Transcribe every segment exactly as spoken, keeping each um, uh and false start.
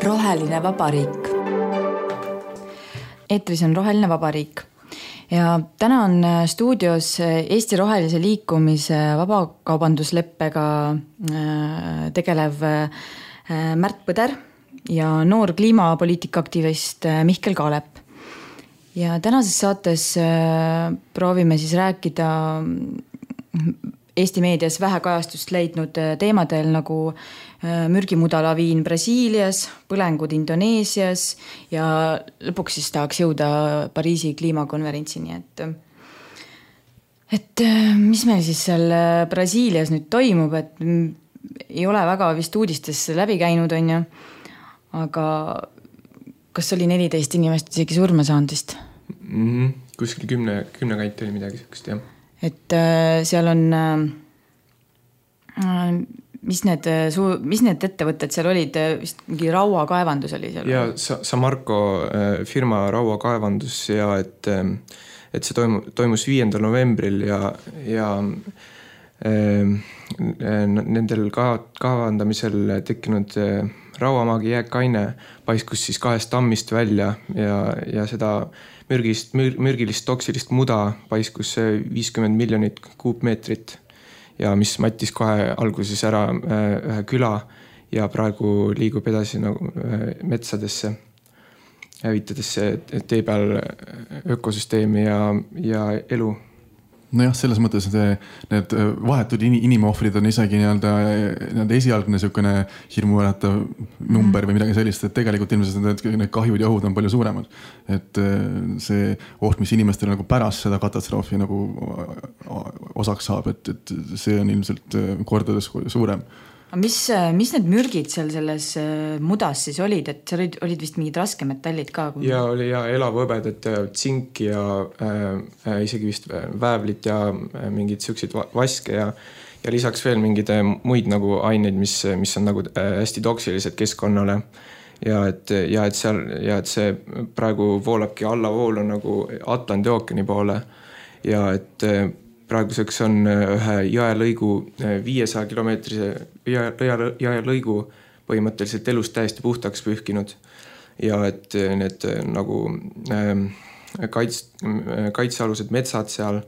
Roheline vabariik. Eetris on Roheline vabariik ja täna on stuudios Eesti Rohelise liikumise vabakaubandusleppega tegelev Märt Põder ja noor kliimapoliitika aktivist Mihkel Kaalep. Ja tänases saates proovime siis rääkida Eesti meedias vähe kajastust leidnud teemadel nagu mürgimudalaviin Brasiilias, põlengud Indoneesias ja lõpuks siis tahaks jõuda Pariisi kliimakonverentsini. Et, et mis meil siis seal Brasiilias nüüd toimub, et ei ole väga vist uudistes läbi käinud, on ju, aga kas oli neliteist inimest isegi surma saanud vist? Mm-hmm. Kuskil kümne, kümne kanti oli midagi sellist, jah. Et seal on, mis need, mis need ettevõtted seal olid, vist mingi rauakaevandus oli seal? Ja Samarco firma rauakaevandus ja et, et see toimus viiendal novembril ja, ja nendel kaevandamisel tekkinud rauamaagi jääkaine paiskus siis kahest tammist välja ja, ja seda mürgist, mür, mürgilist toksilist muda paiskus viiskümmend miljonit kuupmeetrit ja mis mattis kohe alguses ära ühe küla ja praegu liigub edasi nagu metsadesse, hävitades tee peal ökosüsteemi ja, ja elu. Nojah, selles mõttes need, need vahetud inimohvrid on isegi nii-öelda, nii-öelda esialgne niisugune hirmuäratav number või midagi sellist, et tegelikult ilmselt need, need kahjud ja ohud on palju suuremad. Et see oht, mis inimestel nagu pärast seda katastroofi nagu osaks saab, et, et see on ilmselt kordades suurem. Mis, mis need mürgid seal selles mudas siis olid, et seal olid, olid vist mingid raskemetallid ka? Ja oli ja elavõbedat ja tsink ja äh, isegi vist väävlit ja mingid süksid vaske ja, ja lisaks veel mingid muid nagu aineid, mis, mis on nagu hästi toksilised keskkonnale. Ja et, ja, et seal, ja et see praegu voolabki allavoolu nagu Atlandi ookeani poole ja et praeguseks on ühe jõelõigu viiesaja kilomeetrise jõelõigu põhimõtteliselt elust täiesti puhtaks pühkinud ja et need nagu kaits, kaitsealused metsad seal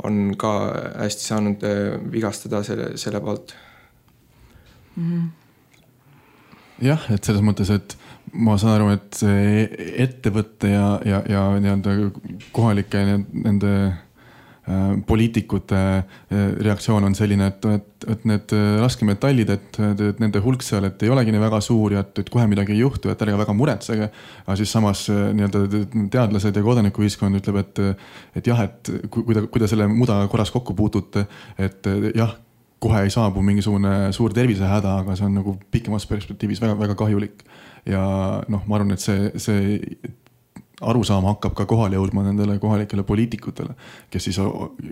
on ka hästi saanud vigastada selle, selle poolt. Mm-hmm. Jah, et selles mõttes, et ma saan aru, et ettevõtte ja, ja, ja nii-öelda kohalike nende poliitikute reaktsioon on selline, et, et, et need raskemetallid, et, et nende hulk seal, et ei olegi nii väga suur ja et, et kohe midagi ei juhtu, et ärge väga muretsege. Aga siis samas nii-öelda teadlased ja kodanikuühiskond ütleb, et, et jah, et kui te, kui te selle muda korras kokku puutute, et jah, kohe ei saabu mingisugune suur tervisehäda, aga see on nagu pikemas perspektiivis väga, väga kahjulik. Ja noh, ma arvan, et see, see arusaama hakkab ka kohale jõudma nendele kohalikele poliitikutele, kes siis,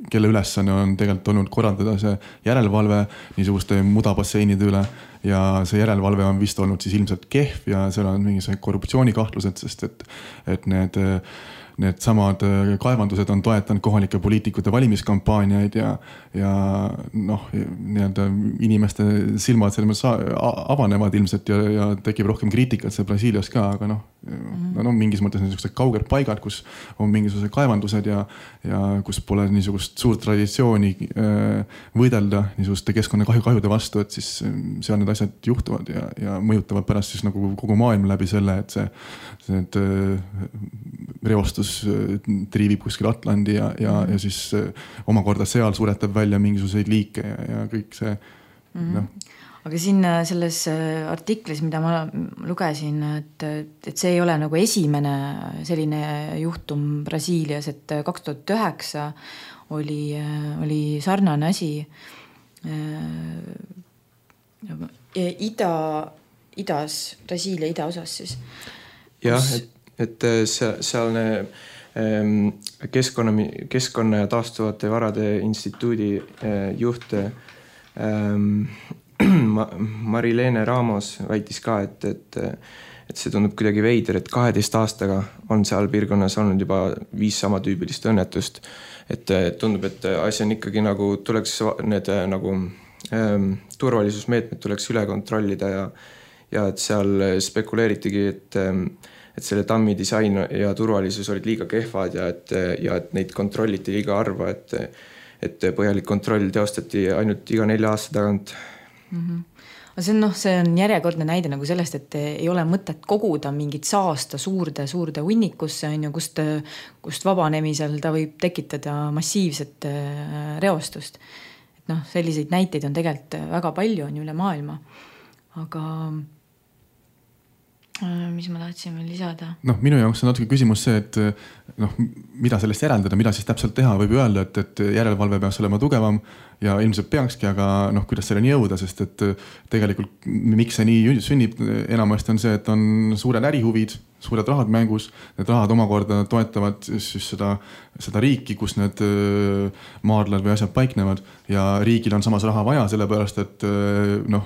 kelle ülesanne on tegelikult olnud korraldada see järelevalve niisuguste mudabasseinide üle ja see järelevalve on vist olnud siis ilmselt kehv ja seal on mingisugused korruptsioonikahtlused, sest et, et need need samad kaevandused on toetanud kohalike poliitikute valimiskampaaniaid ja, ja noh, nii-öelda inimeste silmad selles mõttes avanevad ilmselt ja, ja tekib rohkem kriitikat see Brasiilias ka, aga noh, mm-hmm. no, mingis mõttes niisugused kauged paigad, kus on mingisugused kaevandused ja, ja kus pole niisugust suurt traditsiooni võidelda niisuguste keskkonnakahju kahjude vastu, et siis seal need asjad juhtuvad ja, ja mõjutavad pärast siis nagu kogu maailm läbi selle, et see, need reostus triivib kuskil Atlandi ja, ja, ja siis omakorda seal suretab välja mingisuguseid liike ja, ja kõik see. Mm-hmm. No. Aga siin selles artiklis, mida ma lugesin, et, et see ei ole nagu esimene selline juhtum Brasiilias, et kaks tuhat üheksa oli, oli sarnane asi ida, idas, Brasiilia idaosas siis. Jah, et et sealne keskkonna, keskkonna ja taastuvate varade instituudi juht Marilene Ramos väitis ka, et, et, et see tundub kuidagi veider, et kaheteist aastaga on seal piirkonnas olnud juba viis sama tüübilist õnnetust. Et tundub, et asi on ikkagi nagu tuleks need nagu ähm, turvalisusmeetmed tuleks üle kontrollida ja, ja et seal spekuleeritigi, et, et selle tammi disain ja turvalisus olid liiga kehvad ja et, ja et neid kontrolliti liiga harva, et, et põhjalik kontroll teostati ainult iga nelja aasta tagant. Mm-hmm. See on, no, see on järjekordne näide nagu sellest, et ei ole mõtet koguda mingit saasta suurde, suurde hunnikusse, on ju, kust, kust vabanemisel ta võib tekitada massiivset reostust. Et noh, selliseid näiteid on tegelikult väga palju, on ju üle maailma. Aga mis ma tahtsin veel lisada? Noh, minu jaoks on natuke küsimus see, et noh, mida sellest järeldada, mida siis täpselt teha, võib öelda, et, et järelevalve peaks olema tugevam ja ilmselt peakski, aga noh, kuidas selleni jõuda, sest et tegelikult miks see nii sünnib, enamasti on see, et on suured ärihuvid, suured rahad mängus, need rahad omakorda toetavad siis seda, seda riiki, kus need maardlad või asjad paiknevad ja riigil on samas raha vaja, sellepärast et noh,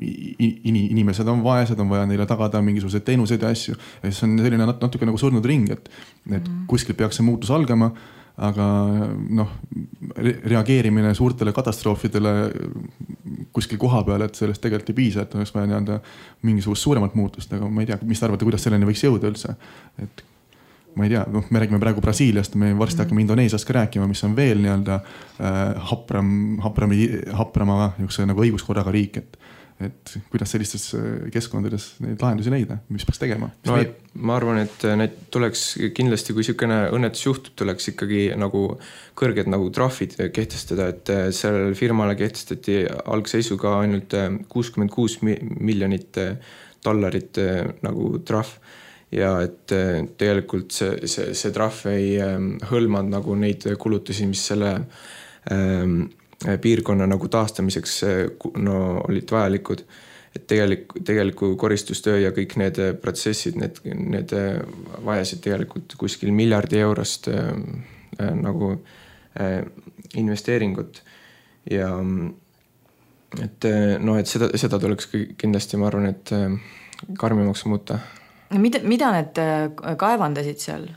inimesed on vaesed, on vaja neile tagada mingisuguseid teenuseid ja asju. Ja see on selline natuke nagu surnud ring, et, et kuskil peaks see muutus algama, aga noh, reageerimine suurtele katastroofidele kuskil koha peal, et sellest tegelikult ei piisa, et oleks vaja nii-öelda mingisugust suuremat muutust, aga ma ei tea, mis te arvate, kuidas selleni võiks jõuda üldse, et ma ei tea, noh, me räägime praegu Brasiiliast, me varsti hakkame Indoneesiast ka rääkima, mis on veel nii-öelda äh, hapram, hapram, haprama nagu õiguskorraga riik, et et kuidas sellistes keskkondades neid lahendusi leida, mis peaks tegema? No, et, ma arvan, et need tuleks kindlasti, kui sükene õnnetus juhtub, tuleks ikkagi nagu kõrged nagu trahvid kehtestada, et sellel firmale kehtestati algseisuga ainult kuuskümmend kuus miljonit dollarit nagu trahv ja et tegelikult see, see, see trahv ei hõlmanud nagu neid kulutusi, mis selle ähm, piirkonna nagu taastamiseks no, olid vajalikud, et tegelik, tegeliku koristustöö ja kõik need protsessid, need, need vajasid tegelikult kuskil miljardi eurost äh, nagu äh, investeeringut ja et no, et seda, seda tuleks kindlasti, ma arvan, et äh, karmimaks muuta. Mida, mida need kaevandasid seal?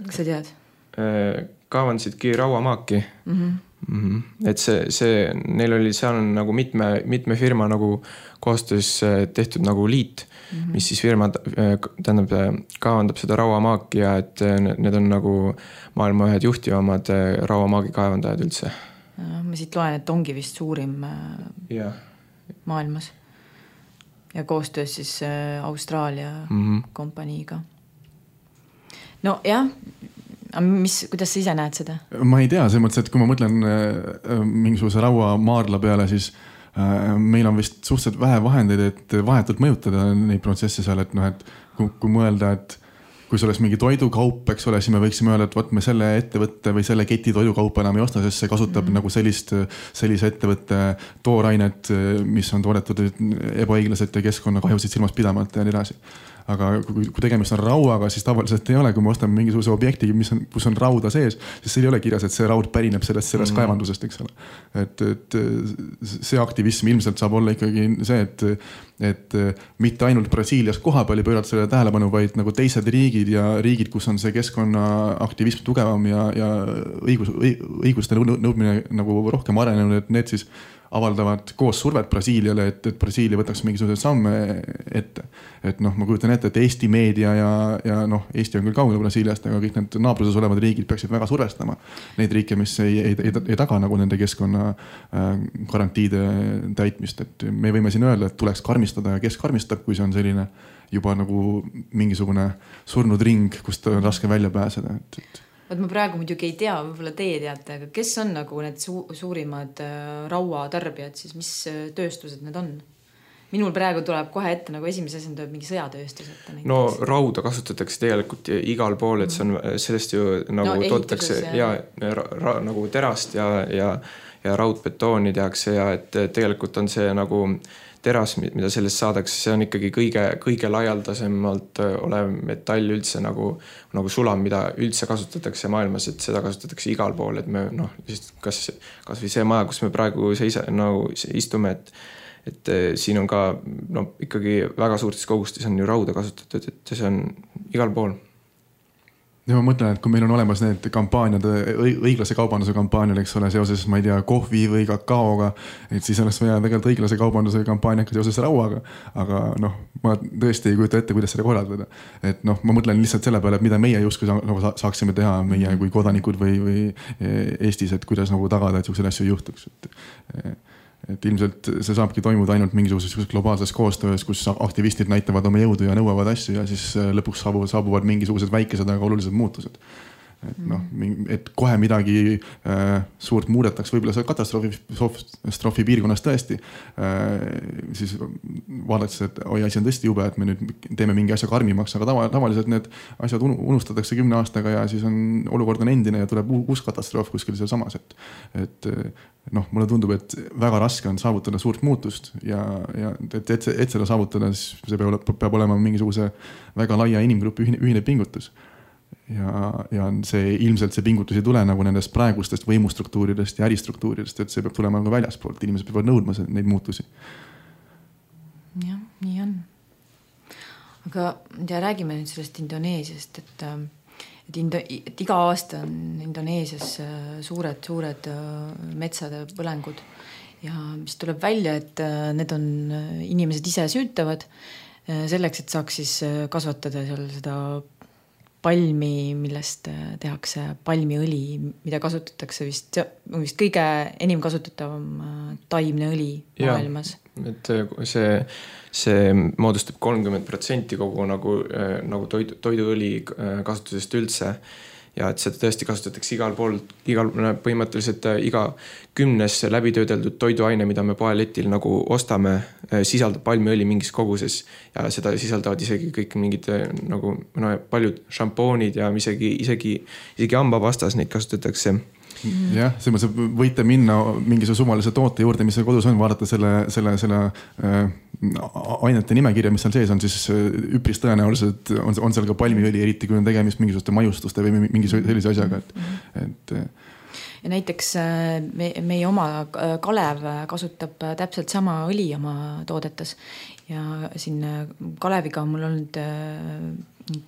Kas sa tead? Äh, kaevandasidki rauamaaki. Mhm. Mm-hmm. Et see, see, neil oli seal nagu mitme, mitme firma nagu koostöös tehtud nagu liit, mm-hmm. mis siis firma tähendab, kaevandab seda rauamaaki ja et need on nagu maailma ühed juhtivamad rauamaagi kaevandajad üldse. Ma siit loen, et ongi vist suurim ja. maailmas ja koostöös siis Austraalia mm-hmm. kompaniiga. No jah, mis, kuidas sa ise näed seda? Ma ei tea, see mõttes, et kui ma mõtlen äh, mingisuguse raua maardla peale, siis äh, meil on vist suhteliselt vähe vahendeid, et vahetult mõjutada neid protsesse seal, et noh, et kui, kui mõelda, et kui see oleks mingi toidukaup, eks ole, siis me võiksime öelda, et võt, me selle ettevõtte või selle keti toidukaupa enam ei osta, sest see kasutab mm-hmm. nagu sellist, sellise ettevõtte toorainet, mis on toodetud ebaõiglaselt ja keskkonnakahjusid silmas pidamata ja nii edasi. Aga kui, kui tegemist on rauaga, siis tavaliselt ei ole, kui me ostame mingisuguse objekti, mis on, kus on rauda sees, siis see ei ole kirjas, et see raud pärineb sellest, sellest mm. kaevandusest, eks ole. Et, et see aktivism ilmselt saab olla ikkagi see, et, et mitte ainult Brasiilias koha peal ei pöörata selle tähelepanu, vaid nagu teised riigid ja riigid, kus on see keskkonnaaktivism tugevam ja, ja õigus, õiguste nõudmine nagu rohkem arenenud, et need siis avaldavad koos survet Brasiiliale, et, et Brasiilia võtaks mingisugused samme ette. Et noh, ma kujutan ette, et Eesti meedia ja, ja noh, Eesti on küll kaugel Brasiiliast, aga kõik need naabruses olevad riigid peaksid väga survestama neid riike, mis ei, ei, ei, ei taga nagu nende keskkonna garantiide täitmist. Et me võime siin öelda, et tuleks karmistada ja kes karmistab, kui see on selline juba nagu mingisugune surnud ring, kust on raske välja pääseda. Et, et Võt ma praegu muidugi ei tea, võib-olla teie teate, aga kes on nagu need su- suurimad raua tarbijad, siis mis tööstused need on? Minul praegu tuleb kohe ette, nagu esimese asjana tuleb mingi sõjatööstus ette. No rauda kasutatakse tegelikult igal pool, et see on, sellest ju nagu no, toodetakse ja, ja ra, ra, nagu terast ja, ja, ja raudbetooni tehakse ja et tegelikult on see nagu teras, mida sellest saadakse, see on ikkagi kõige, kõige laialdasemalt olev metall üldse nagu, nagu sulam, mida üldse kasutatakse maailmas, et seda kasutatakse igal pool, et me noh, kas, kas või see maja, kus me praegu seisa, nagu istume, et, et siin on ka no, ikkagi väga suurtes kogustes on ju rauda kasutatud, et see on igal pool. Ja ma mõtlen, et kui meil on olemas need kampaaniad, õiglase kaubanduse kampaaniad, eks ole, seoses, ma ei tea, kohvi või kakaoga, et siis oleks vaja tegelikult õiglase kaubanduse kampaaniaga seoses rauaga. Aga noh, ma tõesti ei kujuta ette, kuidas seda korraldada. Et noh, ma mõtlen lihtsalt selle peale, et mida meie justkui saaksime teha meie kui kodanikud või, või Eestis, et kuidas nagu tagada, et selliseid asju ei juhtuks. Et, et ilmselt see saabki toimuda ainult mingisuguses globaalses koostöös, kus aktivistid näitavad oma jõudu ja nõuavad asju ja siis lõpuks saabuvad, saabuvad mingisugused väikesed, aga olulised muutused. Et, noh, et kohe midagi äh, suurt muudetaks, võib-olla see katastroofi, katastroofi piirkonnas tõesti äh, siis vaadates, et oi, asi on tõesti jube, et me nüüd teeme mingi asja karmimaks, aga tava, tavaliselt need asjad unustatakse kümne aastaga ja siis on olukord on endine ja tuleb uus katastroof kuskil seal samas, et, et noh, mulle tundub, et väga raske on saavutada suurt muutust ja, ja et, et, et seda saavutada, siis see peab, peab olema mingisuguse väga laia inimgrupi ühine, ühine pingutus. Ja, ja see ilmselt see pingutus ei tule nagu nendest praegustest võimustruktuuridest ja äristruktuuridest, et see peab tulema ka väljaspoolt. Inimesed peavad nõudma neid muutusi. Jah, nii on. Aga ja räägime nüüd sellest Indoneesiast, et, et, Indo, et iga aasta on Indoneesias suured, suured metsade põlengud ja mis tuleb välja, et need on inimesed ise süütavad selleks, et saaks siis kasvatada seal seda palmi, millest tehakse palmiõli, mida kasutatakse vist, vist kõige enim kasutatavam taimne õli maailmas. Ja, et see, see moodustab kolmkümmend protsenti kogu nagu, nagu toidu, toiduõli kasutusest üldse. Ja et seda tõesti kasutatakse igal pool, igal, põhimõtteliselt iga kümnes läbitöödeldud toiduaine, mida me poeletil nagu ostame, sisaldab palmiõli mingis koguses ja seda sisaldavad isegi kõik mingid nagu no, paljud šampoonid ja isegi, isegi, isegi hambapastas neid kasutatakse. Jah, see võite minna mingisuguse suvalise toote juurde, mis seal kodus on, vaadata selle, selle, selle äh, ainete nimekirja, mis seal sees on, siis üpris tõenäoliselt on, on seal ka palmiõli, eriti kui on tegemist mingisuguste majustuste või mingi sellise asjaga. Et, et, ja näiteks me, meie oma Kalev kasutab täpselt sama õli oma toodetes ja siin Kaleviga on mul olnud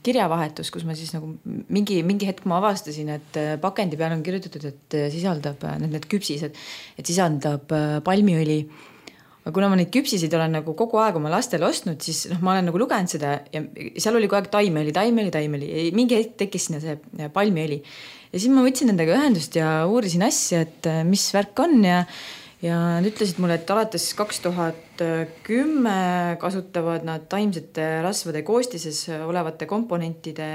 kirjavahetus, kus ma siis nagu mingi, mingi hetk ma avastasin, et pakendi peal on kirjutatud, et sisaldab need, need küpsised, et sisaldab palmiõli. Aga kuna ma neid küpsisid olen nagu kogu aeg oma lastele ostnud, siis noh, ma olen nagu lugenud seda ja seal oli kogu aeg taimeõli, taimeõli, taimeõli. Mingi hetk tekkis sinna see palmiõli. Ja siis ma võtsin nendega ühendust ja uurisin asja, et mis värk on ja Ja nad ütlesid mulle, et alates kaks tuhat kümme kasutavad nad taimsete rasvade koostises olevate komponentide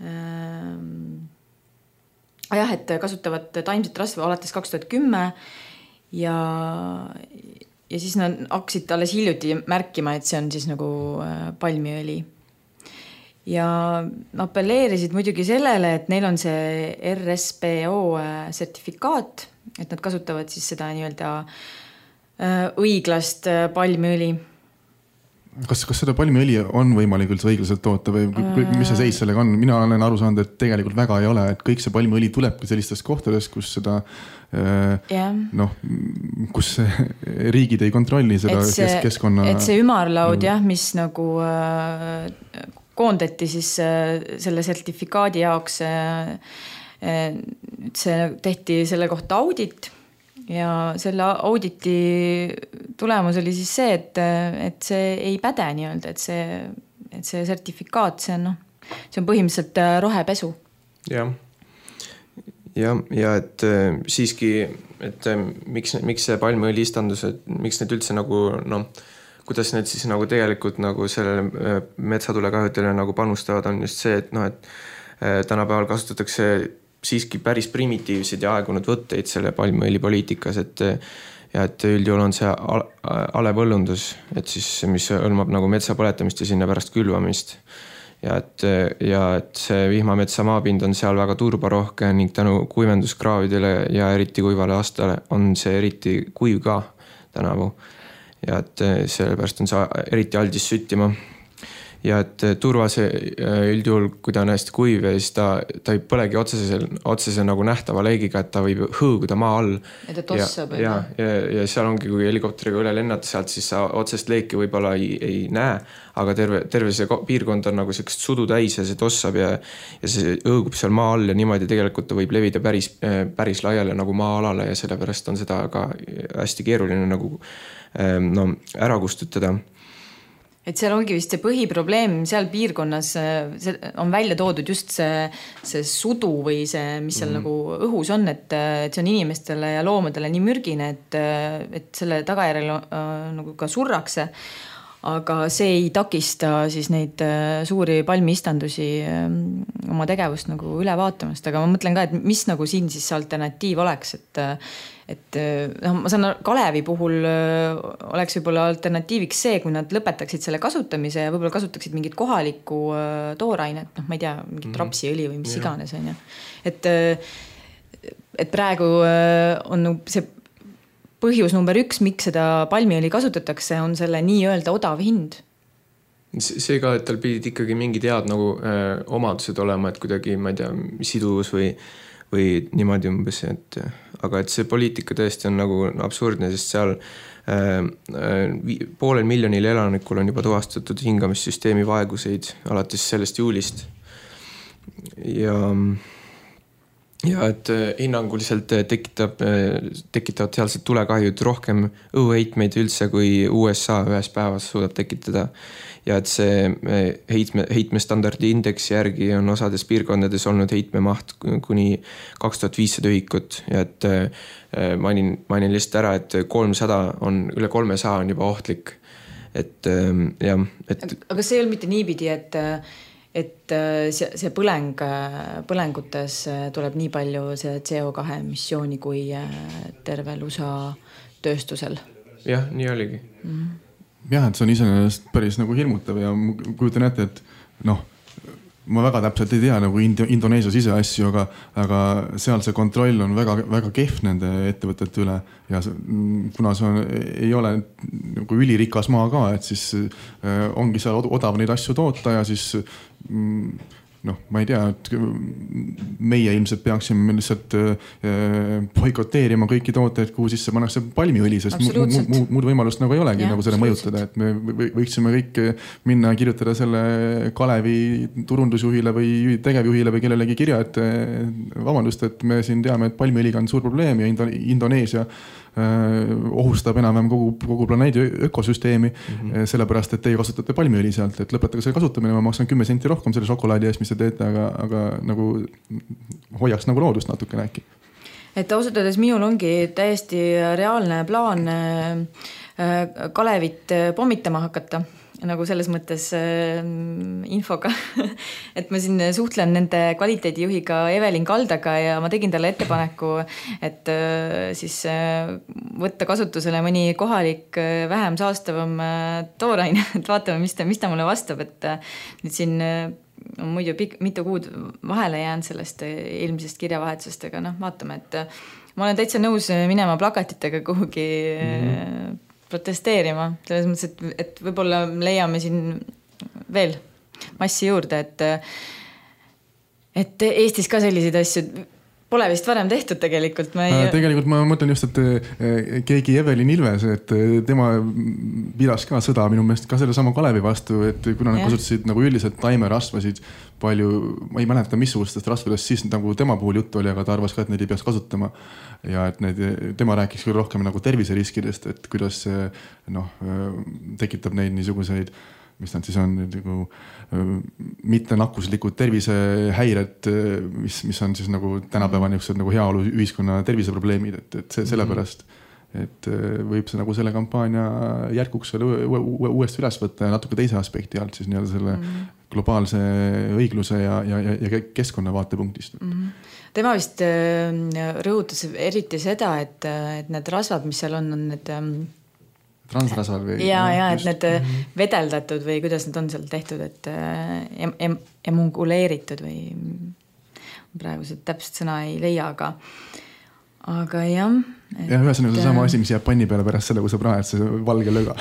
äh, jah, et kasutavad taimset rasva alates kaks tuhat kümme ja, ja siis nad hakkasid alles hiljuti märkima, et see on siis nagu palmiõli. Ja appelleerisid muidugi sellele, et neil on see R S P O sertifikaat, et nad kasutavad siis seda nii-öelda õiglast palmiõli. Kas, kas seda palmiõli on võimalik üldse õiglaselt toota või mis see seis sellega on? Mina olen aru saanud, et tegelikult väga ei ole, et kõik see palmiõli tulebki sellistest kohtades, kus seda yeah. noh, kus riigid ei kontrolli seda et see, keskkonna. Et see ümarlaud, jah, mis nagu koondati siis selle sertifikaadi jaoks see tehti selle kohta audit ja selle auditi tulemus oli siis see, et, et see ei päde nii-öelda, et see, et see sertifikaat, see on, noh, see on põhimõtteliselt rohepesu. Jah, ja, ja et siiski, et miks, miks see palmiõli istandus, et miks need üldse nagu, noh, kuidas need siis nagu tegelikult nagu sellele metsatulekahjutele nagu panustavad, on just see, et noh, et tänapäeval kasutatakse siiski päris primitiivsed ja aegunud võtteid selle palmiõli poliitikas, et ja et üldjuhul on see alepõllundus, et siis, mis hõlmab nagu metsa põletamist ja sinna pärast külvamist. Ja et, ja et see vihmametsa maapind on seal väga turbarohke ning tänu kuivenduskraavidele ja eriti kuivale aastale on see eriti kuiv ka tänavu. Ja et sellepärast on see eriti aldis süttima. ja et turvase üldjuhul, kui ta on hästi kuiv ja siis ta, ta ei põlegi otsese, otsese nagu nähtava leegiga, et ta võib hõõguda maa all. Ja ta tossab. Ja, ja, ja, ja seal ongi, kui helikopteriga üle lennata sealt, siis sa otsest leeki võib-olla ei, ei näe, aga terve, terve see piirkond on nagu sellist sudu täis ja see tossab ja, ja see hõõgub seal maa all ja niimoodi tegelikult ta võib levida päris, päris laiale nagu maa-alale ja sellepärast on seda ka hästi keeruline nagu no, ära kustutada. Et seal ongi vist see põhiprobleem seal piirkonnas see on välja toodud just see, see sudu või see, mis seal mm. nagu õhus on, et, et see on inimestele ja loomadele nii mürgine, et, et selle tagajärjel äh, nagu ka surrakse. Aga see ei takista siis neid suuri palmiistandusi oma tegevust nagu üle vaatamast. Aga ma mõtlen ka, et mis nagu siin siis alternatiiv oleks, et, et no, ma saan Kalevi puhul oleks võib-olla alternatiiviks see, kui nad lõpetaksid selle kasutamise ja võib-olla kasutaksid mingit kohalikku toorainet, noh, ma ei tea, mingit rapsiõli või mis iganes on. Et, et praegu on see põhjus number üks, miks seda palmiõli kasutatakse, on selle nii-öelda odav hind. See ka, et tal pidid ikkagi mingid head nagu äh, omadused olema, et kuidagi, ma ei tea, siduvus või, või niimoodi umbes, et, aga et see poliitika tõesti on nagu absurdne, sest seal äh, äh, poolel miljonil elanikul on juba tuvastatud hingamissüsteemi vaeguseid alates sellest juulist. Ja Ja et hinnanguliselt tekitab, tekitavad sealsed tulekahjud rohkem õhuheitmeid üldse, kui U S A ühes päevas suudab tekitada. Ja et see heitme, heitmestandardi indeksi järgi on osades piirkondades olnud heitmemaht kuni kaks tuhat viissada ühikut. Ja et mainin, mainin lihtsalt ära, et kolmsada on, üle kolmesaja on juba ohtlik. Et, ja, et... Aga see ei ole mitte niipidi, et et see, see põleng, põlengutes tuleb nii palju see C O kahe emissiooni kui tervel U S A tööstusel. Jah, nii oligi. Mm-hmm. Jah, et see on iseenesest päris nagu hirmutav ja kujutan ette, et noh, ma väga täpselt ei tea nagu Indoneesia siseasju, aga, aga seal see kontroll on väga, väga kehv nende ettevõtete üle ja kuna see on, ei ole nagu ülirikas maa ka, et siis äh, ongi seal odav neid asju toota ja siis mm, noh, ma ei tea, et meie ilmselt peaksime lihtsalt boikoteerima kõiki tooteid, kuhu sisse pannakse palmiõli, sest mu, mu, muud võimalust nagu ei olegi ja, nagu selle mõjutada, et me võiksime kõik minna ja kirjutada selle Kalevi turundusjuhile või tegevjuhile või kellelegi kirja, et vabandust, et me siin teame, et palmiõliga on suur probleem ja Indoneesia ohustab enam-vähem kogu, kogu planeedi ökosüsteemi mm-hmm. sellepärast, et teie kasutate palmiõli sealt, et lõpetage selle kasutamine, ma maksan kümme senti rohkem selle šokolaadi eest, mis te teete, aga, aga nagu hoiaks nagu loodust natukene äkki. Et ausalt öeldes minul ongi täiesti reaalne plaan Kalevit pommitama hakata. Nagu selles mõttes äh, infoga, et ma siin suhtlen nende kvaliteedijuhiga Evelin Kaldaga ja ma tegin talle ettepaneku, et äh, siis äh, võtta kasutusele mõni kohalik äh, vähem saastavam äh, tooraine, et vaatame, mis ta, mis ta mulle vastab, et äh, nüüd siin äh, on muidu pik- mitu kuud vahele jäänud sellest äh, eelmisest kirjavahetusest, aga noh, vaatame, et äh, ma olen täitsa nõus minema plakatitega kuhugi mm-hmm. äh, protesteerima, selles mõttes, et, et võib-olla leiame siin veel massi juurde, et, et Eestis ka selliseid asju pole vist varem tehtud tegelikult. Ma ei... Tegelikult ma mõtlen just, et keegi Evelin Ilves, et tema pidas ka sõda minu meelest ka selle sama Kalevi vastu, et kuna nad kasutasid nagu üldiselt taimerasvasid palju, ma ei mäleta missugustest rasvadest, siis nagu tema puhul juttu oli, aga ta arvas ka, et neid ei peaks kasutama. Ja et need, tema rääkis küll rohkem nagu terviseriskidest, et kuidas see noh, tekitab neid niisuguseid, mis nad siis on nagu mitte nakkuslikud tervisehäired, mis, mis on siis nagu tänapäeva niisugused nagu heaolu ühiskonna terviseprobleemid, et, et see, sellepärast, et võib see nagu selle kampaania järkuks selle uuesti üles võtta ja natuke teise aspekti alt siis nii-öelda selle mm-hmm. globaalse õigluse ja, ja, ja keskkonna vaatepunktist. Mm-hmm. Tema vist rõhutas eriti seda, et, et need rasvad, mis seal on, on need transrasvad või? Ja, ja, et need mm-hmm. vedeldatud või kuidas need on seal tehtud, et em, em, emunguleeritud või praegu see täpselt sõna ei leia, aga, aga jah. Et, ja ühesõnaga see sama asi, mis jääb panni peale pärast selle, kui sa praed see valge löga.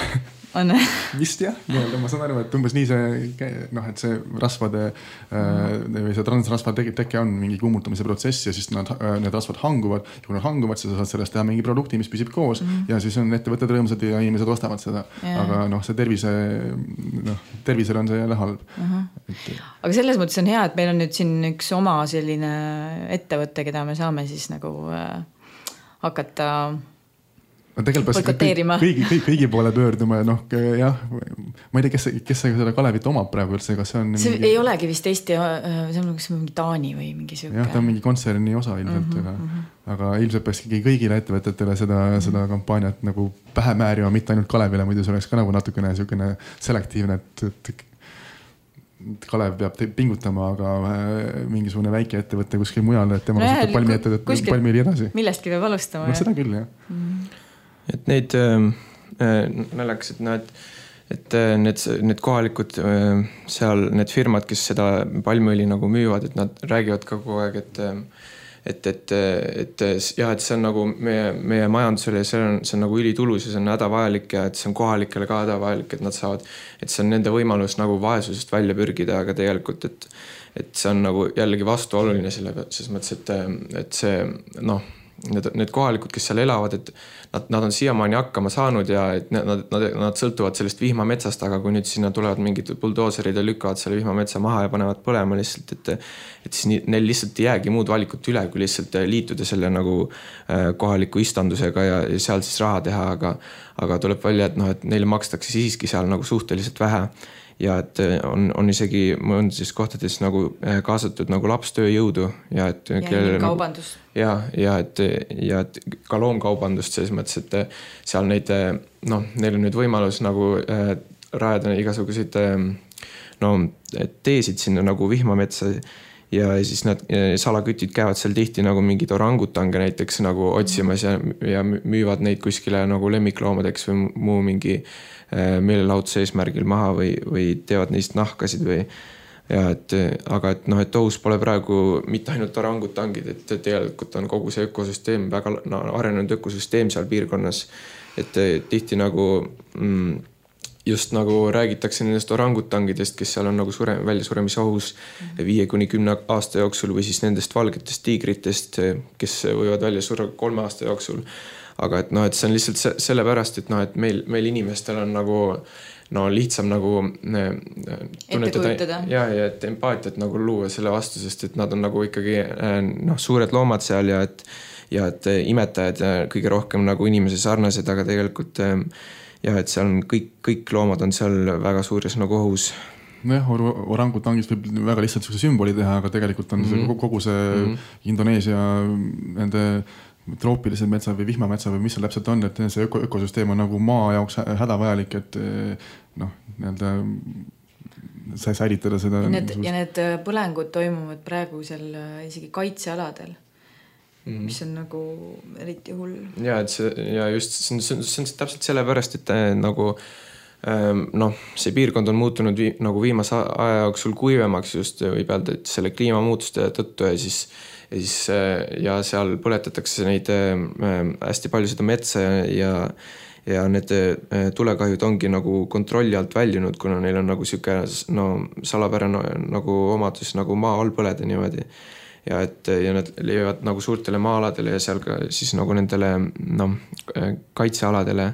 on vist jah, ma saan aru, et umbes nii see, noh, et see rasvade mm. või see transrasvade teke on mingi kummutamise protsess ja siis nad, need rasvad hanguvad ja kui nad hanguvad, siis sa saad sellest teha mingi produkti, mis püsib koos mm. ja siis on ettevõtted rõõmsad ja inimesed ostavad seda yeah. aga noh, see tervise noh, tervisele on see jälle halb uh-huh. et... aga selles mõttes on hea, et meil on nüüd siin üks oma selline ettevõte, keda me saame siis nagu äh, hakata tegelikult kõigi, kõigi, kõigi poole pöörduma ja noh, jah, ma ei tea, kes, kes seda Kalevit omab praegu üldse, kas see on see mingi... ei olegi vist Eesti, see on mingi Taani või mingi siuke. jah, ta on mingi kontserni osa ilmselt, uh-huh, aga, uh-huh. aga ilmselt peakski kõigile ettevõtetele seda, uh-huh. seda kampaaniat nagu pähe määrima, mitte ainult Kalevile, muidu see oleks ka nagu natukene siukene selektiivne, et, et Kalev peab pingutama, aga mingisugune väike ettevõtte kuskil mujal, et tema no, palmi ettevõtte, palmi oli edasi. Millestki peab alustama. No, seda küll, jah. Uh-huh. Et neid äh, naljakas, et, no, et, et need, need kohalikud äh, seal, need firmad, kes seda palmiõli nagu müüvad, et nad räägivad ka kogu aeg, et et, et, et jah, et see on nagu meie, meie majandusele, see on, see on nagu ülitulus ja see on hädavajalik ja et see on kohalikele ka hädavajalik, et nad saavad, et see on nende võimalus nagu vaesusest välja pürgida, aga tegelikult, et, et see on nagu jällegi vastuoluline selle, selles mõttes, et, et see, noh, Need, need kohalikud, kes seal elavad, et nad, nad on siiamaani hakkama saanud ja et nad, nad, nad sõltuvad sellest vihmametsast, aga kui nüüd sinna tulevad mingid buldooserid ja lükkavad selle vihmametsa maha ja panevad põlema lihtsalt, et, et siis neil lihtsalt ei jäägi muud valikut üle, kui lihtsalt liituda selle nagu kohaliku istandusega ja, ja seal siis raha teha, aga, aga tuleb välja, et, noh, et neile makstakse siiski seal nagu suhteliselt vähe. Ja et on, on isegi mõndes kohtades nagu kaasatud nagu lapstööjõudu ja et ja kellele kaubandus. Nagu, ja, ja, et, ja et ka loomkaubandust selles mõttes, et seal neid, noh, neil on nüüd võimalus nagu äh, rajada igasuguseid äh, no, teesid sinna nagu vihmametsa ja siis nad salakütid käivad seal tihti nagu mingid orangutange näiteks nagu otsimas ja, ja müüvad neid kuskile nagu lemmikloomadeks või muu mingi meelelahutuse eesmärgil maha või, või teevad neist nahkasid või ja et, aga et noh, et ohus pole praegu mitte ainult orangutangid, et tegelikult on kogu see ökosüsteem, väga no, arenenud ökosüsteem seal piirkonnas, et tihti nagu mm, just nagu räägitakse nendest orangutangidest, kes seal on nagu sure, välja suremise ohus viie kuni kümne aasta jooksul või siis nendest valgetest tiigritest, kes võivad välja surra kolme aasta jooksul. Aga et noh, et see on lihtsalt sellepärast, et noh, et meil, meil inimestel on nagu no lihtsam nagu tunnetada ja, ja et empaatiat nagu luua selle vastu, sest et nad on nagu ikkagi noh, suured loomad seal ja et, ja et imetajad ja kõige rohkem nagu inimese sarnased, aga tegelikult ja et seal on kõik, kõik loomad on seal väga suures nagu ohus. Nojah, orangutangist võib väga lihtsalt sümboli teha, aga tegelikult on mm-hmm. see, kogu see mm-hmm. Indoneesia nende troopilised metsa või vihmametsa või mis seal täpselt on, et see öko, ökosüsteem on nagu maa jaoks hädavajalik, et noh, nii-öelda sai säilitada seda. Ja need, ja need põlengud toimuvad praegu seal isegi kaitsealadel, mm. mis on nagu eriti hull. Ja, et see, ja just see on, see on, see on täpselt sellepärast, et nagu noh, see piirkond on muutunud vii, nagu viimase aja jooksul kuivemaks just võib öelda, et selle kliimamuutuste tõttu ja siis Ja, siis, ja seal põletatakse neid hästi palju seda metsa ja, ja need tulekahjud ongi nagu kontrolli alt väljunud, kuna neil on nagu siuke no, salapärane nagu omadus nagu maa all põleda niimoodi. Ja, et, ja nad levivad nagu suurtele maa-aladele ja seal ka siis nagu nendele no, kaitsealadele.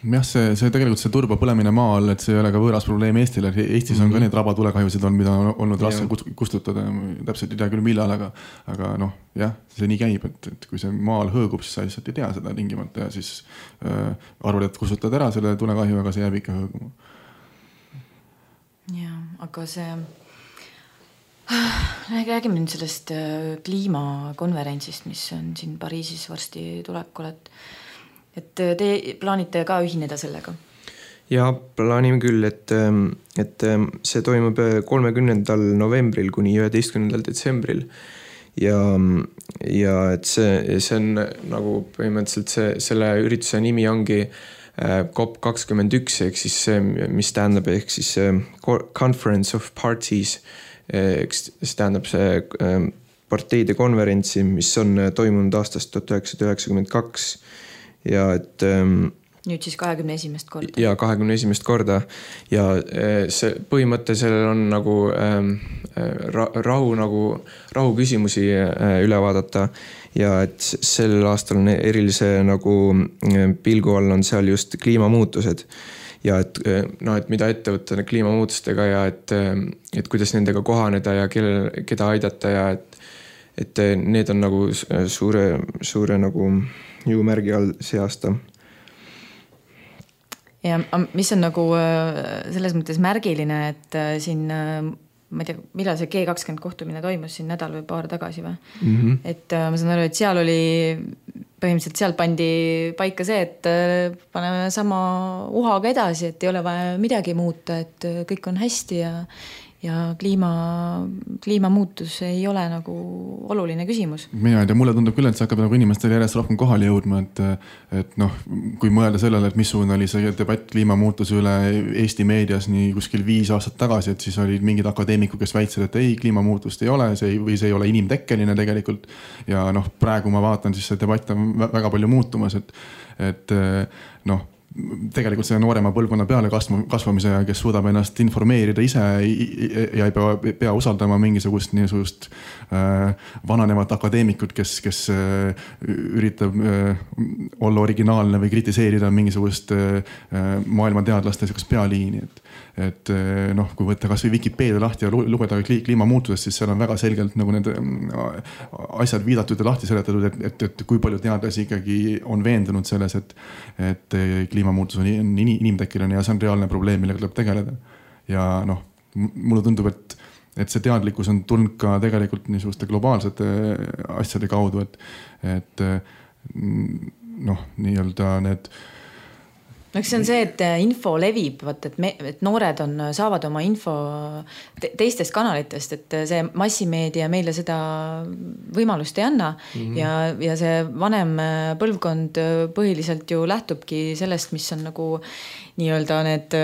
Jah, see, see tegelikult see turba põlemine maa all, et see ei ole ka võõras probleem Eestile. Eestis on mm-hmm. ka neid rabatulekahjusid on, mida on olnud raske kustutada. Täpselt ei tea küll millal, aga, aga noh, jah, see nii käib, et, et kui see maal hõõgub, siis sa lihtsalt ei tea seda tingimata ja siis äh, arvad, et kustutad ära selle tulekahju, aga see jääb ikka hõõguma. Ja, aga see räägime nüüd sellest kliimakonverentsist, mis on siin Pariisis varsti tulekul, et et te plaanite ka ühineda sellega? Ja plaanime küll, et, et see toimub kolmekümnendal novembril kuni üheteistkümnendal detsembril ja, ja et see, see on nagu põhimõtteliselt see, selle ürituse nimi ongi COP kakskümmend üks ehk siis see, mis tähendab ehk siis Conference of Parties ehk see tähendab see parteide konverentsi, mis on toimunud aastast tuhat üheksasada üheksakümmend kaks ja et nüüd siis kahekümne esimest korda. Ja kahekümne esimest korda ja see põhimõte sellel on nagu ähm, rahu, nagu, rahu küsimusi üle vaadata ja et sel aastal on erilise nagu pilgu all on seal just kliimamuutused ja et, no, et mida ette võtta kliimamuutustega ja et, et kuidas nendega kohaneda ja kelle, keda aidata ja et, et need on nagu suure, suure nagu jõumärgi all see aasta. Ja mis on nagu selles mõttes märgiline, et siin, ma ei tea, millal see G kakskümmend kohtumine toimus siin nädal või paar tagasi või? Mm-hmm. Et ma saan aru, et seal oli, põhimõtteliselt seal pandi paika see, et paneme sama uhaga edasi, et ei ole vaja midagi muuta, et kõik on hästi ja ja kliima, kliimamuutus ei ole nagu oluline küsimus. Mina ei tea, mulle tundub küll, et see hakkab nagu inimestele järjest rohkem kohale jõudma, et, et noh, kui mõelda sellele, et missugune oli see debatt kliimamuutuse üle Eesti meedias nii kuskil viis aastat tagasi, et siis olid mingid akadeemikud, kes väitsid, et ei, kliimamuutust ei ole see, või see ei ole inimtekkeline tegelikult. Ja noh, praegu ma vaatan, siis see debatt on väga palju muutumas, et, et noh, tegelikult see noorema põlvkonna peale kasvamise, kes suudab ennast informeerida ise ja ei pea, pea usaldama mingisugust niisugust äh, vananevat akadeemikut, kes, kes äh, üritab äh, olla originaalne või kritiseerida mingisugust äh, maailma teadlaste pealiini. Et, et noh, kui võtta kas või Wikipedia lahti ja lugeda kliimamuutusest, siis seal on väga selgelt nagu need asjad viidatud ja lahti seletatud, et, et, et kui palju teadlasi ikkagi on veendunud selles, et, et kliimamuutus on inimtekkeline ja see on reaalne probleem, millega tuleb tegeleda. Ja noh, mulle tundub, et, et see teadlikkus on tulnud ka tegelikult niisuguste globaalsete asjade kaudu, et, et noh, nii-öelda need No, see on see, et info levib, vaat, et, me, et noored on, saavad oma info te, teistest kanalitest, et see massimeedia meile seda võimalust ei anna mm-hmm. ja, ja see vanem põlvkond põhiliselt ju lähtubki sellest, mis on nagu nii-öelda need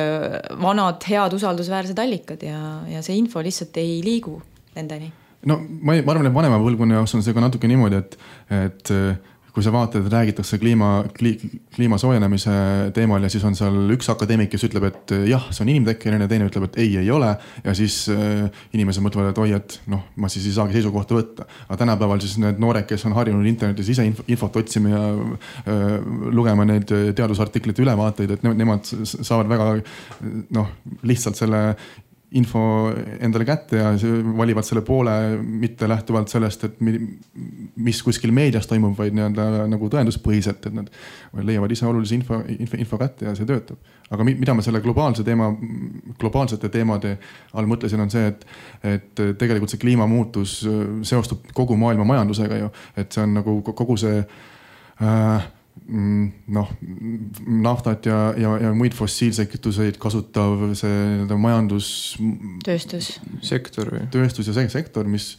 vanad head usaldusväärsed allikad ja, ja see info lihtsalt ei liigu nendeni. No ma, ma arvan, et vanema põlvkonna jaoks on see ka natuke niimoodi, et, et kui sa vaatad, et räägitakse kliima, kliima soojenemise teemal ja siis on seal üks akadeemik, kes ütleb, et jah, see on inimtekkeline ja teine ütleb, et ei, ei ole. Ja siis äh, inimesed mõtlevad, et oi, et noh, ma siis ei saagi seisukohta võtta. Aga tänapäeval siis need noored, kes on harjunud internetis ise infot otsima ja äh, lugema neid teadusartiklite ülevaateid, et nemad saavad väga noh, lihtsalt selle info endale kätte ja valivad selle poole mitte lähtuvalt sellest, et mis kuskil meedias toimub, vaid nagu tõenduspõhiselt, et nad leiavad ise olulise info, info, info kätte ja see töötab. Aga mida ma selle globaalse teema, globaalsete teemade all mõtlesin on see, et, et tegelikult see kliimamuutus seostub kogu maailma majandusega ju, et see on nagu kogu see äh, noh, naftat ja, ja, ja muid fossiilseid kütuseid kasutav see majandus tööstus sektor või tööstus ja see sektor, mis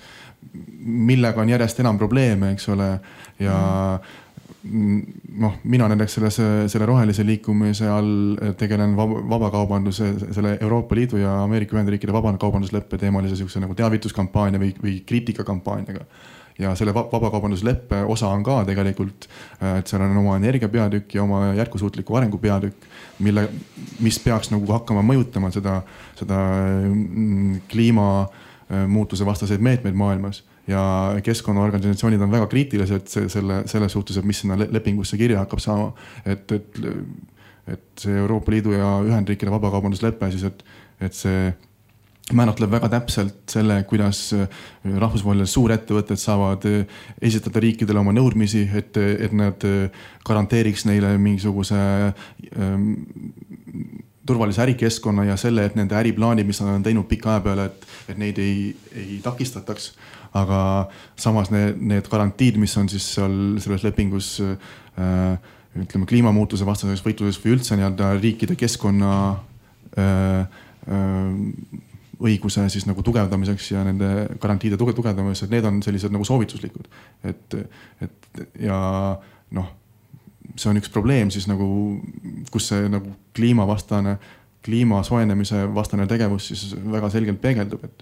millega on järjest enam probleeme, eks ole, ja noh, mina näiteks selle, selle rohelise liikumise all tegelen vabakaubanduse, selle Euroopa Liidu ja Ameerika Ühendriikide vabakaubandusleppe teemalise siukse nagu teavituskampaania või, või kriitikakampaaniaga. Ja selle vabakaubandusleppe osa on ka tegelikult, et seal on oma energiapeatükk ja oma jätkusuutliku arengu peatükk, mille, mis peaks nagu hakkama mõjutama seda, seda kliimamuutuse vastaseid meetmeid maailmas. Ja keskkonnaorganisatsioonid on väga kriitilised selle, selle suhtes, et mis sinna lepingusse kirja hakkab saama. Et, et, et see Euroopa Liidu ja Ühendriikide vabakaubanduslepe, siis et, et see määratleb väga täpselt selle, kuidas rahvusvahelised suurettevõtted saavad esitada riikidele oma nõudmisi, et, et nad garanteeriks neile mingisuguse ähm, turvalise ärikeskkonna ja selle, et nende äriplaanid, mis nad on teinud pika aja peale, et, et neid ei, ei takistataks. Aga samas need, need garantiid, mis on siis seal selles lepingus äh, ütleme, kliimamuutuse vastases võitluses või üldse nii-öelda riikide keskkonna äh, äh, õiguse siis nagu tugevdamiseks ja nende garantiide tugevdamiseks, et need on sellised nagu soovituslikud. Et, et ja noh, see on üks probleem siis nagu, kus see nagu kliimavastane, kliima soojenemise vastane tegevus siis väga selgelt peegeldub, et,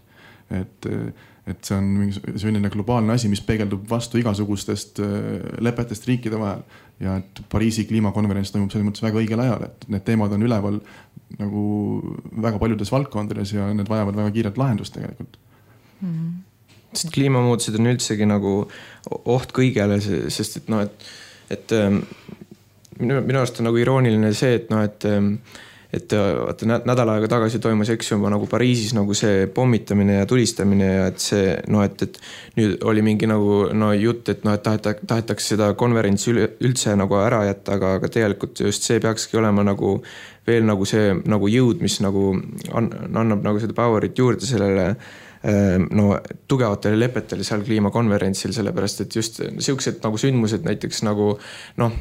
et, et see on mingi selline globaalne asi, mis peegeldub vastu igasugustest lepetest riikide vahel ja et Pariisi kliimakonverents toimub selles mõttes väga õigel ajal, et need teemad on üleval nagu väga paljudes valdkondades ja need vajavad väga kiiret lahendust tegelikult. Mm-hmm. Sest kliimamuutused on üldsegi nagu oht kõigele, sest et noh, et, et minu, minu arust on nagu irooniline see, et noh, et et vaata nädal aega tagasi toimus eks juba nagu Pariisis nagu see pommitamine ja tulistamine ja et see no, et, et nüüd oli mingi nagu no jutt, et noh, et taheta, tahetakse seda konverentsi üldse nagu ära jätta, aga, aga tegelikult just see peakski olema nagu veel nagu see nagu jõud, mis nagu annab nagu seda powerit juurde sellele no tugevatele lepetele seal kliimakonverentsil, sellepärast et just siuksed nagu sündmused näiteks nagu noh,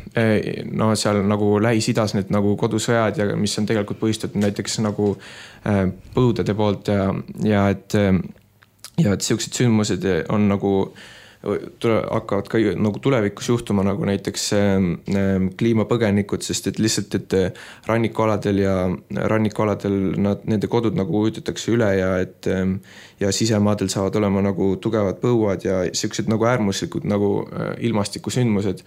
no seal nagu Lähis-Idas need nagu kodusõjad ja mis on tegelikult põhjustatud näiteks nagu põudade poolt ja, ja et ja et siuksed sündmused on nagu tule, hakkavad ka nagu tulevikus juhtuma nagu näiteks kliimapõgenikud, sest et lihtsalt, et rannikualadel ja rannikualadel nad, nende kodud nagu ujutatakse üle ja et ja sisemaadel saavad olema nagu tugevad põuad ja siuksed nagu äärmuslikud nagu ilmastikusündmused.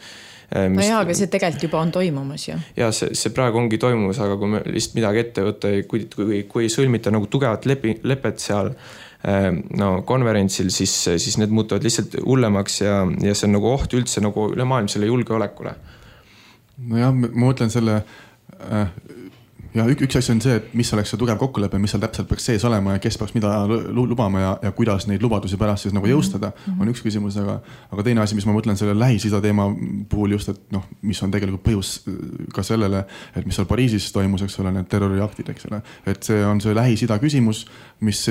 No jaa, aga see tegelikult juba on toimumas ju. Ja see, see praegu ongi toimumas, aga kui me lihtsalt midagi ette võtta, kui, kui, kui ei sõlmita nagu tugevat lepi, lepet seal no konverentsil, siis, siis need muutuvad lihtsalt hullemaks ja, ja see on nagu oht üldse nagu ülemaailmsele julgeolekule. No jah, ma mõtlen selle äh, ja üks, üks asi on see, et mis oleks see tugev kokkulepe, mis seal täpselt peaks sees olema ja kes peaks mida lubama ja, ja kuidas neid lubadusi pärast siis nagu jõustada, on üks küsimus, aga, aga teine asi, mis ma mõtlen selle Lähis-Ida teema puhul just, et noh, mis on tegelikult põhjus ka sellele, et mis seal Pariisis toimus, eks ole, need terroriaktid, eks ole, et see on see Lähis-Ida küsimus, mis,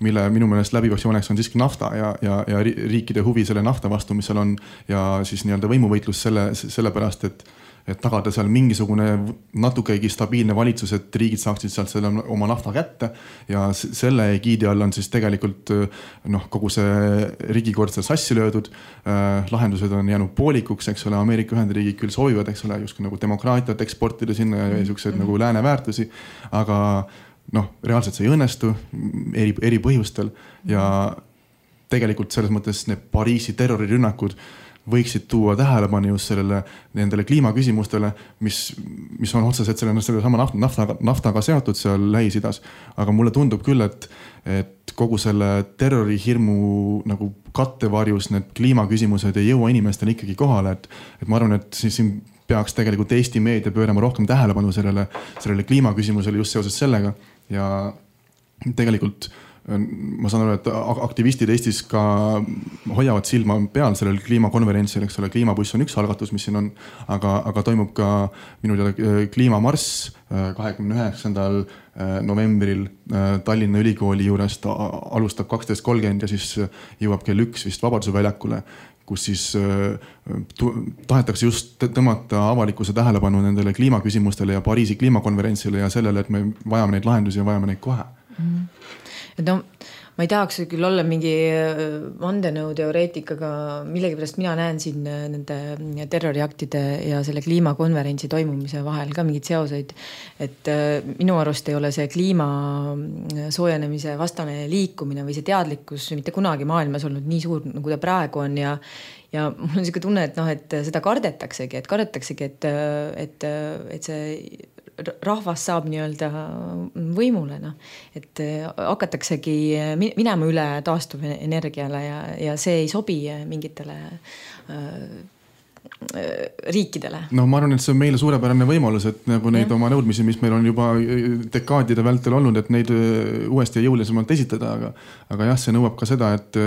mille minu meelest läbivaks jooneks on siiski nafta ja, ja, ja riikide huvi selle nafta vastu, mis seal on ja siis nii-öelda võimuvõitlus selle, selle pärast, et et tagada seal mingisugune natukegi stabiilne valitsus, et riigid saaksid sealt selle oma nafta kätte ja selle egiidi all on siis tegelikult noh, kogu see riigikord seal sassi löödud, äh, lahendused on jäänud poolikuks, eks ole, Ameerika Ühendriigid küll soovivad, eks ole, just nagu demokraatiat eksportida sinna ja niisugused nagu lääne väärtusi, aga noh, reaalselt see ei õnnestu eri, eri põhjustel ja tegelikult selles mõttes need Pariisi terrorirünnakud võiksid tuua tähelepanu just sellele, nendele kliimaküsimustele, mis, mis on otseselt selle, selle sama nafta, naftaga, naftaga seotud seal Lähis-Idas. Aga mulle tundub küll, et, et kogu selle terrorihirmu nagu kattevarjus need kliimaküsimused ei jõua inimestele ikkagi kohale. Et, et ma arvan, et siin peaks tegelikult Eesti meedia pöörama rohkem tähelepanu sellele, sellele kliimaküsimusele just seoses sellega ja tegelikult ma saan aru, et aktivistid Eestis ka hoiavad silma peal sellel kliimakonverentsil, eks ole, kliimabuss on üks algatus, mis siin on, aga, aga toimub ka minu teada kliimamarss kahekümne üheksandal novembril Tallinna Ülikooli juurest alustab kaksteist kolmkümmend ja siis jõuab kell üks vist Vabaduse väljakule, kus siis tahetakse just tõmmata avalikkuse tähelepanu nendele kliimaküsimustele ja Pariisi kliimakonverentsile ja sellele, et me vajame neid lahendusi ja vajame neid kohe. Mm-hmm. Et no, ma ei tahaks küll olla mingi vandenõu teoreetikaga, millegi pärast mina näen siin nende terroriaktide ja selle kliimakonverentsi toimumise vahel ka mingid seoseid, et minu arust ei ole see kliima soojenemise vastane liikumine või see teadlikkus mitte kunagi maailmas olnud nii suur, nagu ta praegu on ja ja mul on selline tunne, et noh, et seda kardetaksegi, et kardetaksegi, et, et, et see rahvas saab nii-öelda võimule, noh. Et hakataksegi minema üle taastuv energiale ja, ja see ei sobi mingitele äh, riikidele. No ma arvan, et see on meile suurepärane võimalus, et nagu neid ja. Oma nõudmisi, mis meil on juba dekaadide vältel olnud, et neid uuesti ja jõulisemalt esitada, aga, aga jah, see nõuab ka seda, et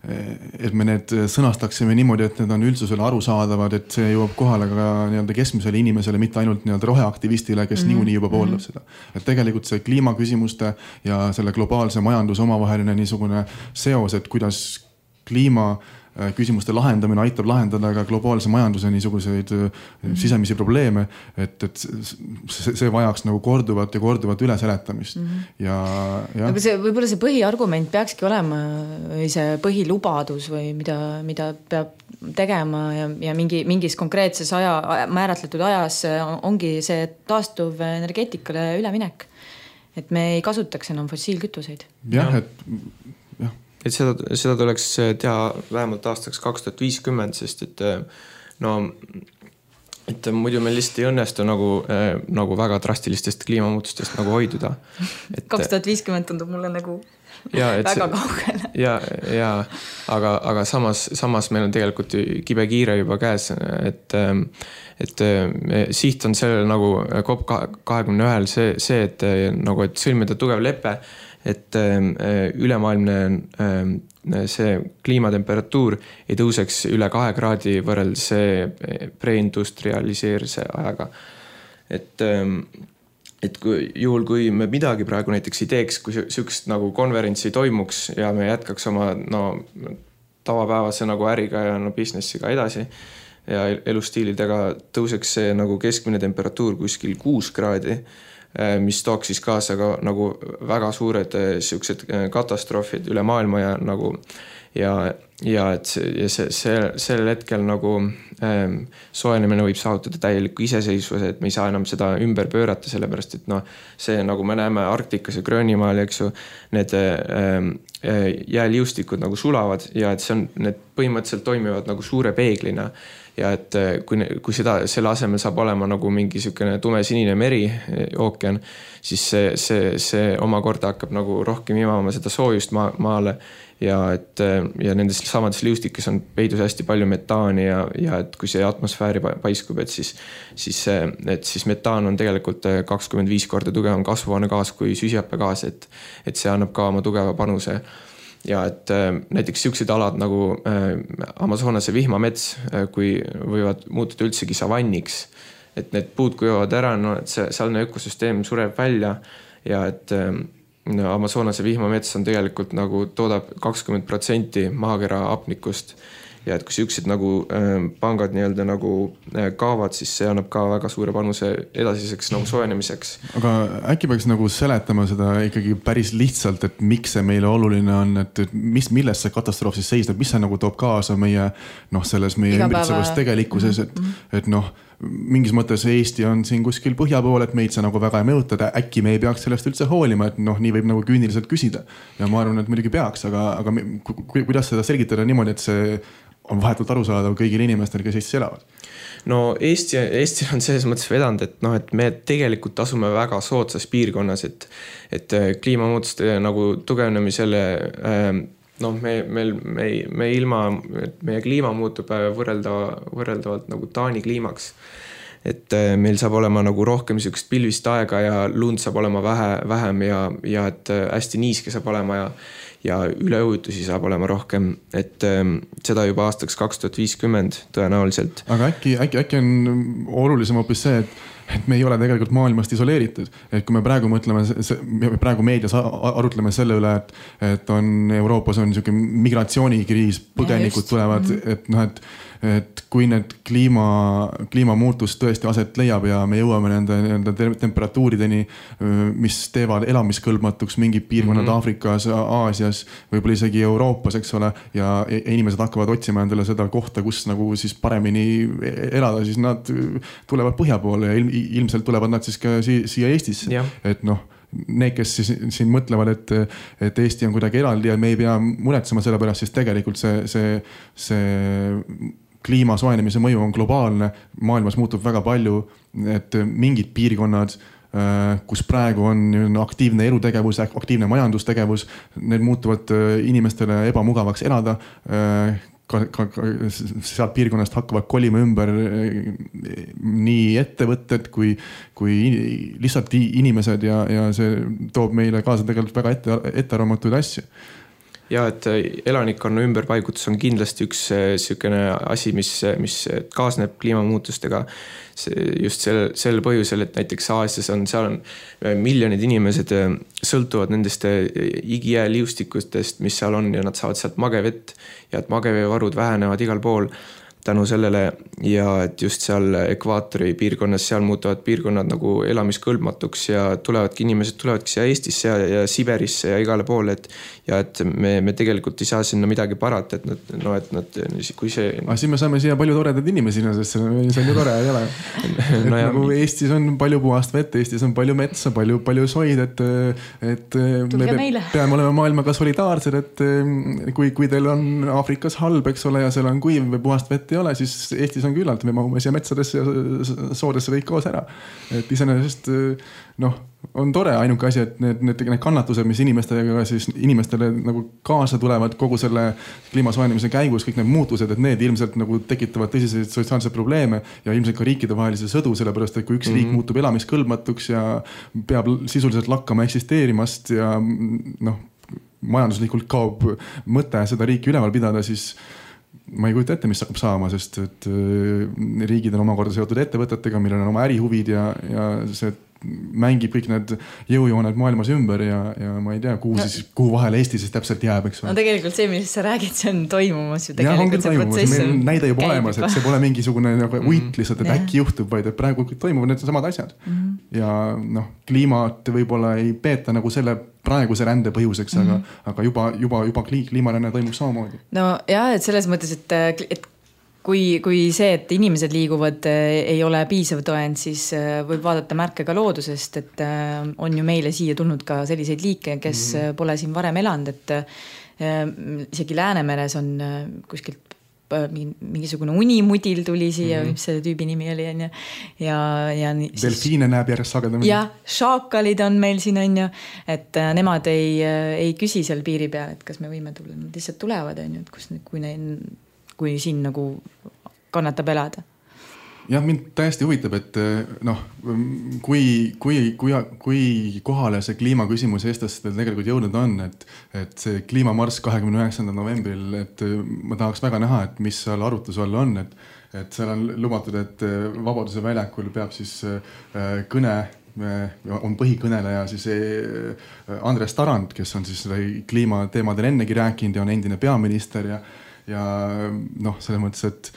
et me need sõnastaksime niimoodi, et need on üldsusele arusaadavad, et see jõuab kohale ka nii-öelda keskmisele inimesele, mitte ainult nii-öelda roheaktivistile, kes mm-hmm. niikuinii juba pooldab mm-hmm. seda. Et tegelikult see kliimaküsimuste ja selle globaalse majanduse omavaheline niisugune seos, et kuidas kliima küsimuste lahendamine aitab lahendada ka globaalse majanduse niisuguseid mm-hmm. sisemisi probleeme, et, et see, see vajaks nagu korduvat ja korduvat üleseletamist. Mm-hmm. Ja, ja. Aga see, võib-olla see põhiargument peakski olema või see põhilubadus või mida, mida peab tegema ja, ja mingi, mingis konkreetses aja, määratletud ajas ongi see taastuv energeetikale üleminek. Et me ei kasutaks enam fossiilkütuseid. Jah, et et seda, seda tuleks teha vähemalt aastaks kaks tuhat viiskümmend, sest et no et muidu meil lihtsalt ei õnnestu nagu, nagu väga drastilistest kliimamuutustest nagu hoiduda. kaks tuhat viiskümmend tundub mulle nagu ja, väga kaugele. Ja, ja aga, aga samas, samas meil on tegelikult kibe kiire juba käes, et, et siht on sellel nagu C O P kahekümne ühel see, see, et nagu, et sõlmida tugev lepe, et ülemaailmne see kliimatemperatuur ei tõuseks üle kahe kraadi võrreldes preindustrialiseerimise ajaga. Et et kui, juhul, kui me midagi praegu näiteks ei teeks, kui sükst nagu konverentsi toimuks ja me jätkaks oma no, tavapäevase nagu äriga ja no, businessiga edasi ja elustiilidega tõuseks see nagu keskmine temperatuur kuskil kuus kraadi, mis tooks siis kaasa ka nagu väga suured siuksed katastroofid üle maailma ja nagu ja, ja et see, ja see, see, sellel hetkel nagu ähm, soojenemine võib saavutada täieliku iseseisvuse, et me ei saa enam seda ümber pöörata, sellepärast et noh, see nagu me näeme Arktikas ja Gröönimaal, eks ju, need ähm, jääliustikud nagu sulavad ja et see on, need põhimõtteliselt toimivad nagu suure peeglina ja et kui, kui seda, selle asemel saab olema nagu mingi sükene tumesinine meri, ookean, siis see, see, see omakorda hakkab nagu rohkem imama seda soojust maa, maale ja et ja nendes samades liustikes on peidus hästi palju metaani ja, ja et kui see atmosfääri paiskub, et siis, siis, et siis metaan on tegelikult kakskümmend viis korda tugevam kasvuhoonegaas kui süsihappegaas, et, et see annab ka oma tugeva panuse. Ja et näiteks siuksed alad nagu Amazonase vihmamets, kui võivad muutuda üldsegi savanniks, et need puud kuivavad ära, no et see sealne ökosüsteem sureb välja ja et no, Amazonase vihmamets on tegelikult nagu toodab kakskümmend protsenti maakera hapnikust ja et kui siuksed nagu pangad nii-öelda nagu kaavad, siis see annab ka väga suure panuse edasiseks nagu soojenemiseks. Aga äkki peaks nagu seletama seda ikkagi päris lihtsalt, et miks see meile oluline on, et mis, milles see katastroof siis seisneb, mis see nagu toob kaasa meie, noh, selles meie ümbritsevas tegelikkuses, et, et noh, mingis mõttes Eesti on siin kuskil põhja pool, et meid see nagu väga ei mõjuta, äkki me ei peaks sellest üldse hoolima, et noh, nii võib nagu küüniliselt küsida. Ja ma arvan, et muidugi peaks, aga, aga kuidas seda selgitada niimoodi, et see on vahetult arusaadav kõigil inimestel, kes Eestis elavad? No Eesti, Eesti on selles mõttes vedanud, et, no, et me tegelikult asume väga soodsas piirkonnas, et, et kliimamuutuste nagu tugevnemisele noh, me, meil, me, me ilma, meie kliima muutub võrreldava, võrreldavalt nagu Taani kliimaks. Et meil saab olema nagu rohkem siukest pilvist aega ja lund saab olema vähe, vähem ja, ja et hästi niiske saab olema ja, ja üleujutusi saab olema rohkem, et ähm, seda juba aastaks kaks tuhat viiskümmend tõenäoliselt. Aga äkki, äkki, äkki on olulisem hoopis see, et et me ei ole tegelikult maailmast isoleeritud. Et kui me praegu mõtleme, me praegu meedias arutleme selle üle, et, et on Euroopas on niisugune migratsioonikriis, põgenikud tulevad, et noh, et et kui need kliima, kliimamuutus tõesti aset leiab ja me jõuame nende, nende temperatuurideni, mis teevad elamiskõlbmatuks mingid piirkonnad mm-hmm. Aafrikas, Aasias, võib-olla isegi Euroopas, eks ole, ja inimesed hakkavad otsima endale seda kohta, kus nagu siis paremini elada, siis nad tulevad põhja poole ja ilmselt tulevad nad siis ka siia Eestisse. Ja. Et noh, need, kes siis, siin mõtlevad, et, et Eesti on kuidagi eraldi ja me ei pea muretsema selle pärast, siis tegelikult see, see, see kliima soojenemise mõju on globaalne, maailmas muutub väga palju, et mingid piirkonnad, kus praegu on aktiivne elutegevus, aktiivne majandustegevus, need muutuvad inimestele ebamugavaks elada, ka, ka, ka sealt piirkonnast hakkavad kolima ümber nii ettevõtted kui, kui lihtsalt inimesed ja, ja see toob meile kaasa tegelikult väga ette, ettearvamatuid asju. Ja, et elanikkonna ümberpaigutus on kindlasti üks sükene asi, mis, mis kaasneb kliimamuutustega just sel, sel põhjusel, et näiteks Aasias on, seal on miljonid inimesed sõltuvad nendest igijääliustikustest, mis seal on ja nad saavad sealt magevett ja et mageveevarud vähenevad igal pool. tänu sellele ja et just seal ekvaatori piirkonnas, seal muutuvad piirkonnad nagu elamiskõlbmatuks ja tulevadki inimesed, tulevadki siia Eestisse ja, ja Siberisse ja igale poole, et ja et me, me tegelikult ei saa sinna midagi parata, et nad, no et nad, kui see... Aga siis me saame siia palju toredad inimesi, sest see on ju tore, ei ole. no ja... nagu Eestis on palju puhast vett, Eestis on palju metsa, palju, palju soid, et, et me pe- peame olema maailmaga solidaarsed, et kui, kui teil on Aafrikas halb, eks ole, ja seal on kuiv või puhast vett ei ole, siis Eestis on küllalt, me mahume siia metsadesse ja soodesse kõik koos ära. Et iseenesest noh, on tore ainuke asi, et need, need, need kannatused, mis inimestega siis inimestele nagu kaasa tulevad kogu selle kliimasoojenemise käigus, kõik need muutused, et need ilmselt nagu tekitavad tõsiseid sotsiaalseid probleeme ja ilmselt ka riikide vahelise sõdu, sellepärast, et kui üks mm-hmm. riik muutub elamiskõlbmatuks ja peab sisuliselt lakkama eksisteerimast ja noh, majanduslikult kaob mõte seda riiki üleval pidada, siis ma ei kujuta ette, mis hakkab saama, sest et riigid on omakorda seotud ettevõtetega, millel on oma ärihuvid ja, ja see mängib kõik need jõujooned maailmas ümber ja, ja ma ei tea, kuhu, no, siis, kuhu vahele Eesti siis täpselt jääb, eks. No tegelikult see, millest sa räägid, see on toimumas ju tegelikult. See protsess on näide juba olemas, et see pole mingisugune nagu uit lihtsalt, et äkki juhtub, vaid et praegu toimuvad need samad asjad. Mm-hmm. Ja noh, kliimat võib-olla ei peeta nagu selle praeguse rände põhjuseks, mm-hmm. aga, aga juba, juba, juba kliimaränne toimub samamoodi. No jah, et selles mõttes, et, et Kui, kui see, et inimesed liiguvad, ei ole piisav tõend, siis võib vaadata märke ka loodusest, et on ju meile siia tulnud ka selliseid liike, kes mm-hmm. pole siin varem elanud, et isegi Läänemeres on kuskilt mingisugune unimudil tuli siia, mm-hmm. mis selle tüübi nimi oli, on ju. Ja, ja delfiine näeb järjest sagedamini. Ja šaakalid on meil siin, on ju, et nemad ei, ei küsi seal piiri peal, et kas me võime tulla, nad lihtsalt tulevad, on ju, et kus, kui neil kui siin nagu kannatab elada. Jah, mind täiesti huvitab, et noh, kui, kui, kui, kui kohale see kliimaküsimus eestlastel tegelikult jõudnud on, et, et see kliimamarss kahekümne üheksandal novembril, et ma tahaks väga näha, et mis seal arutluse all on, et, et seal on lubatud, et Vabaduse väljakul peab siis kõne on põhikõneleja siis Andres Tarand, kes on siis kliimateemadel ennegi rääkinud ja on endine peaminister ja ja noh, selles mõttes, et,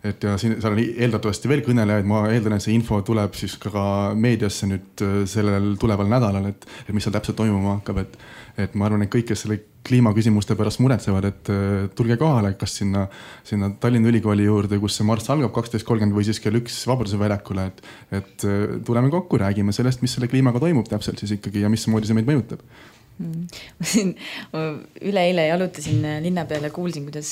et ja siin seal on eeldatavasti veel kõnelejaid, ma eeldan, et see info tuleb siis ka meediasse nüüd sellel tuleval nädalal, et, et mis seal täpselt toimuma hakkab, et, et ma arvan, et kõik, kes selle kliimaküsimuste pärast muretsevad, et tulge kohale, kas sinna, sinna Tallinna Ülikooli juurde, kus see marss algab kaksteist kolmkümmend või siis kell üks Vabaduse väljakule, et, et tuleme kokku, räägime sellest, mis selle kliimaga toimub täpselt siis ikkagi ja mismoodi see meid mõjutab. Ma siin üle-eile jalutasin linna peale, kuulsin, kuidas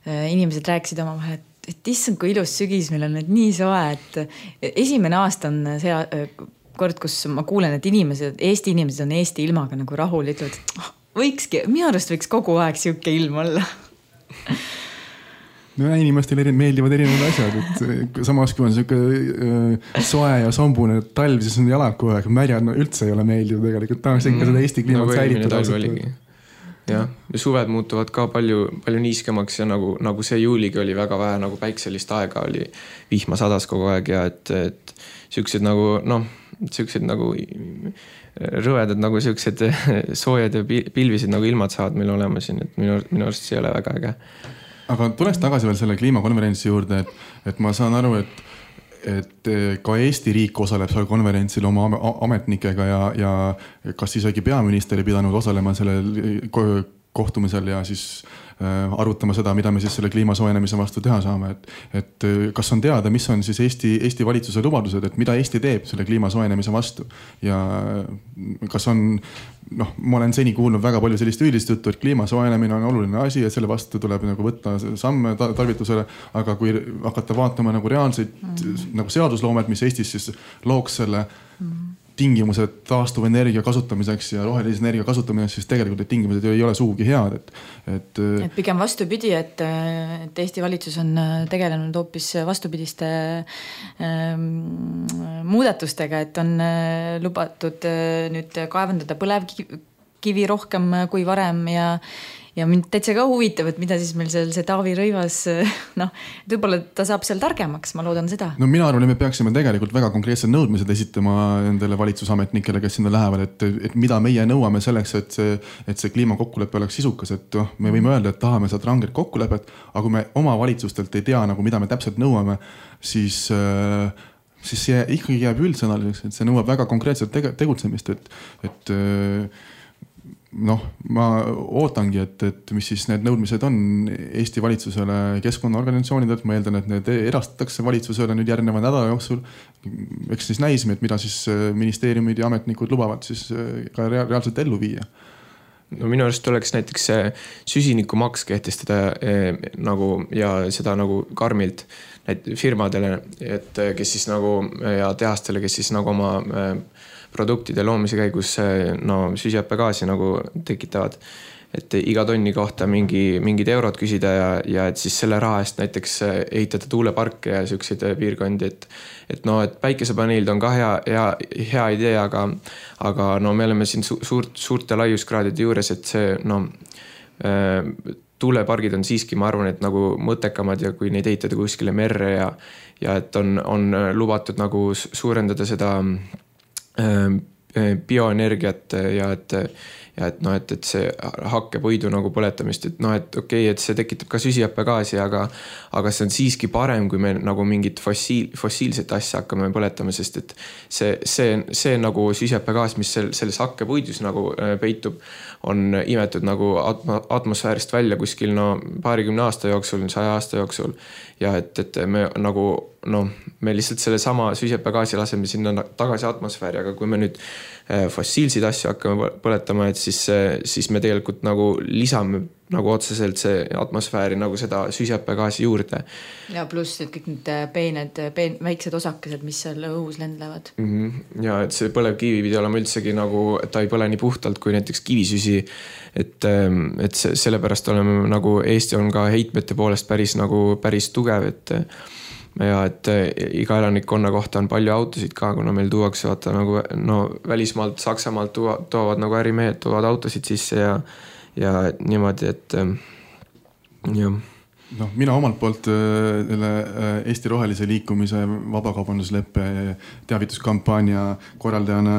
inimesed rääkisid oma vahel, et, et issand, kui ilus sügis meil on, et nii soe, et esimene aasta on see kord, kus ma kuulen, et inimesed, Eesti inimesed on Eesti ilmaga nagu rahul, ütlevad, et võikski, minu arust võiks kogu aeg siuke ilm olla. No inimestele meeldivad erinevad asjad, et samas kui on siuke soe ja sombune talv, siis on jalad kogu aeg märjad, no üldse ei ole meeldiv tegelikult, tahaks ikka seda Eesti kliimat säilitada. Ja, ja suved muutuvad ka palju, palju niiskemaks ja nagu, nagu see juuligi oli väga vähe nagu päikselist aega, oli vihma sadas kogu aeg ja et, et siuksed nagu, noh, siuksed nagu rõvedad nagu siuksed soojad ja pilvisid nagu ilmad saavad meil olema siin, et minu, minu arust see ei ole väga äge. Aga tuleks tagasi veel selle kliimakonverentsi juurde, et, et ma saan aru, et, et ka Eesti riik osaleb seal konverentsil oma ametnikega ja, ja kas isegi peaminister ei pidanud osalema sellel kohtumisel ja siis arutama seda, mida me siis selle kliimasoojenemise vastu teha saame. Et, et kas on teada, mis on siis Eesti, Eesti valitsuse lubadused, et mida Eesti teeb selle kliimasoojenemise vastu ja kas on, noh, ma olen seni kuulnud väga palju sellist üldist juttu, et kliimasoojenemine on oluline asi ja selle vastu tuleb nagu võtta samme tarvitusele, aga kui hakata vaatama nagu reaalseid mm. nagu seadusloomet, mis Eestis siis looks selle mm. tingimused taastuvenergia kasutamiseks ja rohelise energia kasutamiseks, siis tegelikult need tingimused ei ole sugugi head. Et, et, et pigem vastupidi, et, et Eesti valitsus on tegelenud hoopis vastupidiste ähm, muudatustega, et on lubatud nüüd kaevandada põlevkivi, kivi rohkem kui varem ja ja mind täitsa ka huvitab, et mida siis meil seal see Taavi Rõivas, noh, võib-olla ta saab seal targemaks, ma loodan seda. No mina arvan, et me peaksime tegelikult väga konkreetsed nõudmised esitama nendele valitsusametnikele, kes sinna lähevad, et, et mida meie nõuame selleks, et see, et see kliimakokkulepe oleks sisukas, et oh, me võime öelda, et tahame sealt ranget kokkulepet, aga kui me oma valitsustelt ei tea, nagu mida me täpselt nõuame, siis, siis see ikkagi jääb üldsõnaliseks, et see nõuab väga konkreetselt tegutsemist, et, et noh, ma ootangi, et, et mis siis need nõudmised on Eesti valitsusele keskkonnaorganisatsioonidelt. Ma eeldan, et need erastatakse valitsusele nüüd järgneva nädala jooksul. Eks siis näisime, et mida siis ministeeriumid ja ametnikud lubavad siis ka reaalselt ellu viia. No minu arust oleks näiteks süsinikumaks kehtestada eh, nagu, ja seda nagu karmilt firmadele, et kes siis nagu ja tehastele, kes siis nagu oma eh, produktide loomise käigus no, süsihappegaasi nagu tekitavad, et iga tonni kohta mingi, mingid eurod küsida ja, ja et siis selle raha eest näiteks ehitada tuuleparke ja selliseid piirkondi, et, et no, et päikesepaneelid on ka hea, hea, hea idee, aga, aga no me oleme siin su, suurt, suurte laiuskraadide juures, et see no, äh, tuulepargid on siiski, ma arvan, et nagu mõttekamad ja kui neid ehitada kuskile merre ja, ja et on, on lubatud nagu suurendada seda bioenergiat ja et, ja et, no, et, et see hakkepuidu nagu põletamist, et noh, et okei, okay, et see tekitab ka süsihappegaasi, aga, aga see on siiski parem, kui me nagu mingit fossiil, fossiilset asja hakkame põletama, sest et see, see, see nagu süsihappegaas, mis selles hakkepuidus nagu peitub, on imetud nagu atmosfäärist välja kuskil no, paarikümne aasta jooksul, saja aasta jooksul ja et, et me nagu noh, me lihtsalt selle sama süsihappegaasi laseme sinna tagasi atmosfääri, aga kui me nüüd fossiilseid asju hakkame põletama, et siis, siis me tegelikult nagu lisame nagu otseselt see atmosfääri nagu seda süsihappegaasi juurde. Ja pluss et kõik need peened, peen, väiksed osakesed, mis seal õhus lendlevad. Mm-hmm. Ja et see põlevkivi pidi olema üldsegi nagu, et ta ei põle nii puhtalt kui näiteks kivisüsi, et, et see, sellepärast oleme nagu Eesti on ka heitmete poolest päris nagu päris tugev, et ja et iga elanikkonna kohta on palju autosid ka, kuna meil tuuakse vaata nagu no, välismaalt, Saksamaalt tuva, toovad nagu ärimehed, toovad autosid sisse ja, ja niimoodi, et jah. No, mina omalt poolt Eesti Rohelise liikumise vabakaubandusleppe teavituskampaania korraldajana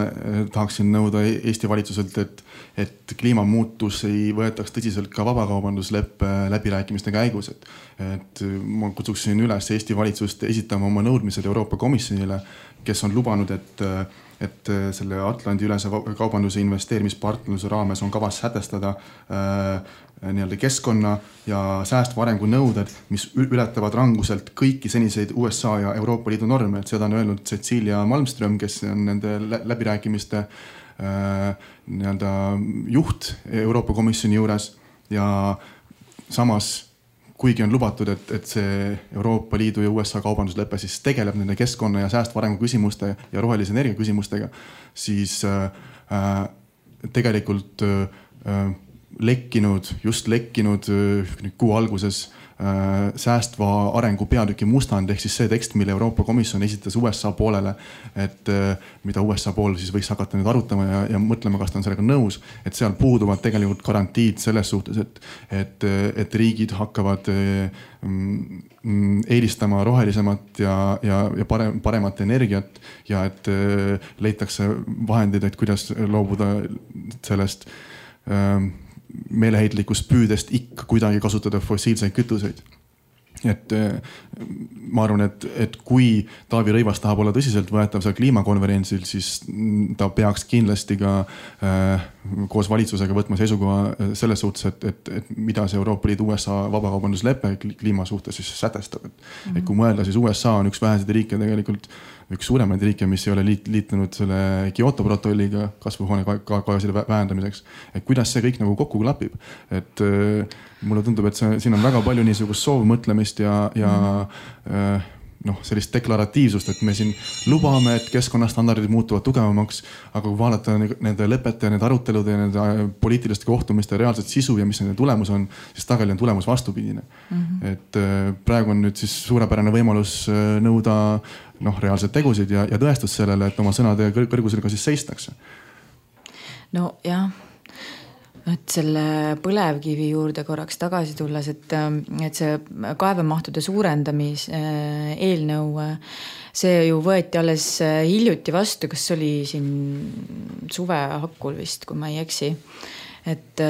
tahaksin nõuda Eesti valitsuselt, et, et kliimamuutus ei võetaks tõsiselt ka vabakaubandusleppe läbirääkimiste käigus. Et, et ma kutsuksin üles Eesti valitsust esitama oma nõudmised Euroopa Komisjonile, kes on lubanud, et et selle Atlandi ülese kaubanduse investeerimispartnerluse raames on kavas sätestada äh, nii-öelda keskkonna ja säästva arengu nõuded, mis ületavad ranguselt kõiki seniseid U S A ja Euroopa Liidu norme. Et seda on öelnud Cecilia Malmström, kes on nende läbirääkimiste äh, nii-öelda juht Euroopa Komisjoni juures ja samas kuigi on lubatud, et, et see Euroopa Liidu ja U S A kaubanduslepe siis tegeleb nende keskkonna ja säästva arengu küsimuste ja rohelise energia küsimustega, siis äh, tegelikult äh, lekkinud, just lekkinud äh, kuu alguses äh, säästva arengu peatüki mustand, ehk siis see tekst, mille Euroopa Komisjon esitas U S A poolele, et äh, mida U S A pool siis võiks hakata nüüd arutama ja, ja mõtlema, kas ta on sellega nõus, et seal puuduvad tegelikult garantiid selles suhtes, et, et, et riigid hakkavad äh, eelistama rohelisemat ja, ja, ja parem, paremat energiat ja et äh, leitakse vahendid, et kuidas loobuda sellest äh, meeleheitlikust püüdest ikka kuidagi kasutada fossiilseid kütuseid. Et ma arvan, et, et kui Taavi Rõivas tahab olla tõsiselt võetav seal kliimakonverentsil, siis ta peaks kindlasti ka äh, koos valitsusega võtma seisukoha selles suhtes, et, et, et mida see Euroopa Liidu U S A vabakaubanduslepe kliima suhtes siis sätestab. Et, mm-hmm. et kui mõelda, siis U S A on üks väheseid riike tegelikult, üks suuremaid riike, mis ei ole liit, liitunud selle Kyoto protokolliga kasvuhoonegaaside vähendamiseks. Et kuidas see kõik nagu kokku klapib. Et äh, mulle tundub, et see, siin on väga palju niisugust soovmõtlemist ja, ja äh, noh, sellist deklaratiivsust, et me siin lubame, et keskkonnastandardid muutuvad tugevamaks, aga kui vaadata nende lepete ja nende arutelude ja nende poliitiliste kohtumiste reaalset sisu ja mis nende tulemus on, siis tagali on tulemus vastupidine. Mm-hmm. Et äh, praegu on nüüd siis suurepärane võimalus äh, nõuda noh, reaalsed tegusid ja, ja tõestust sellele, et oma sõnade kõrgusel ka siis seistakse. No jah, et selle põlevkivi juurde korraks tagasi tulles, et, et see kaevemahtude suurendamis eelnõu, see ju võeti alles hiljuti vastu, kas oli siin suve hakkul vist, kui ma ei eksi. Et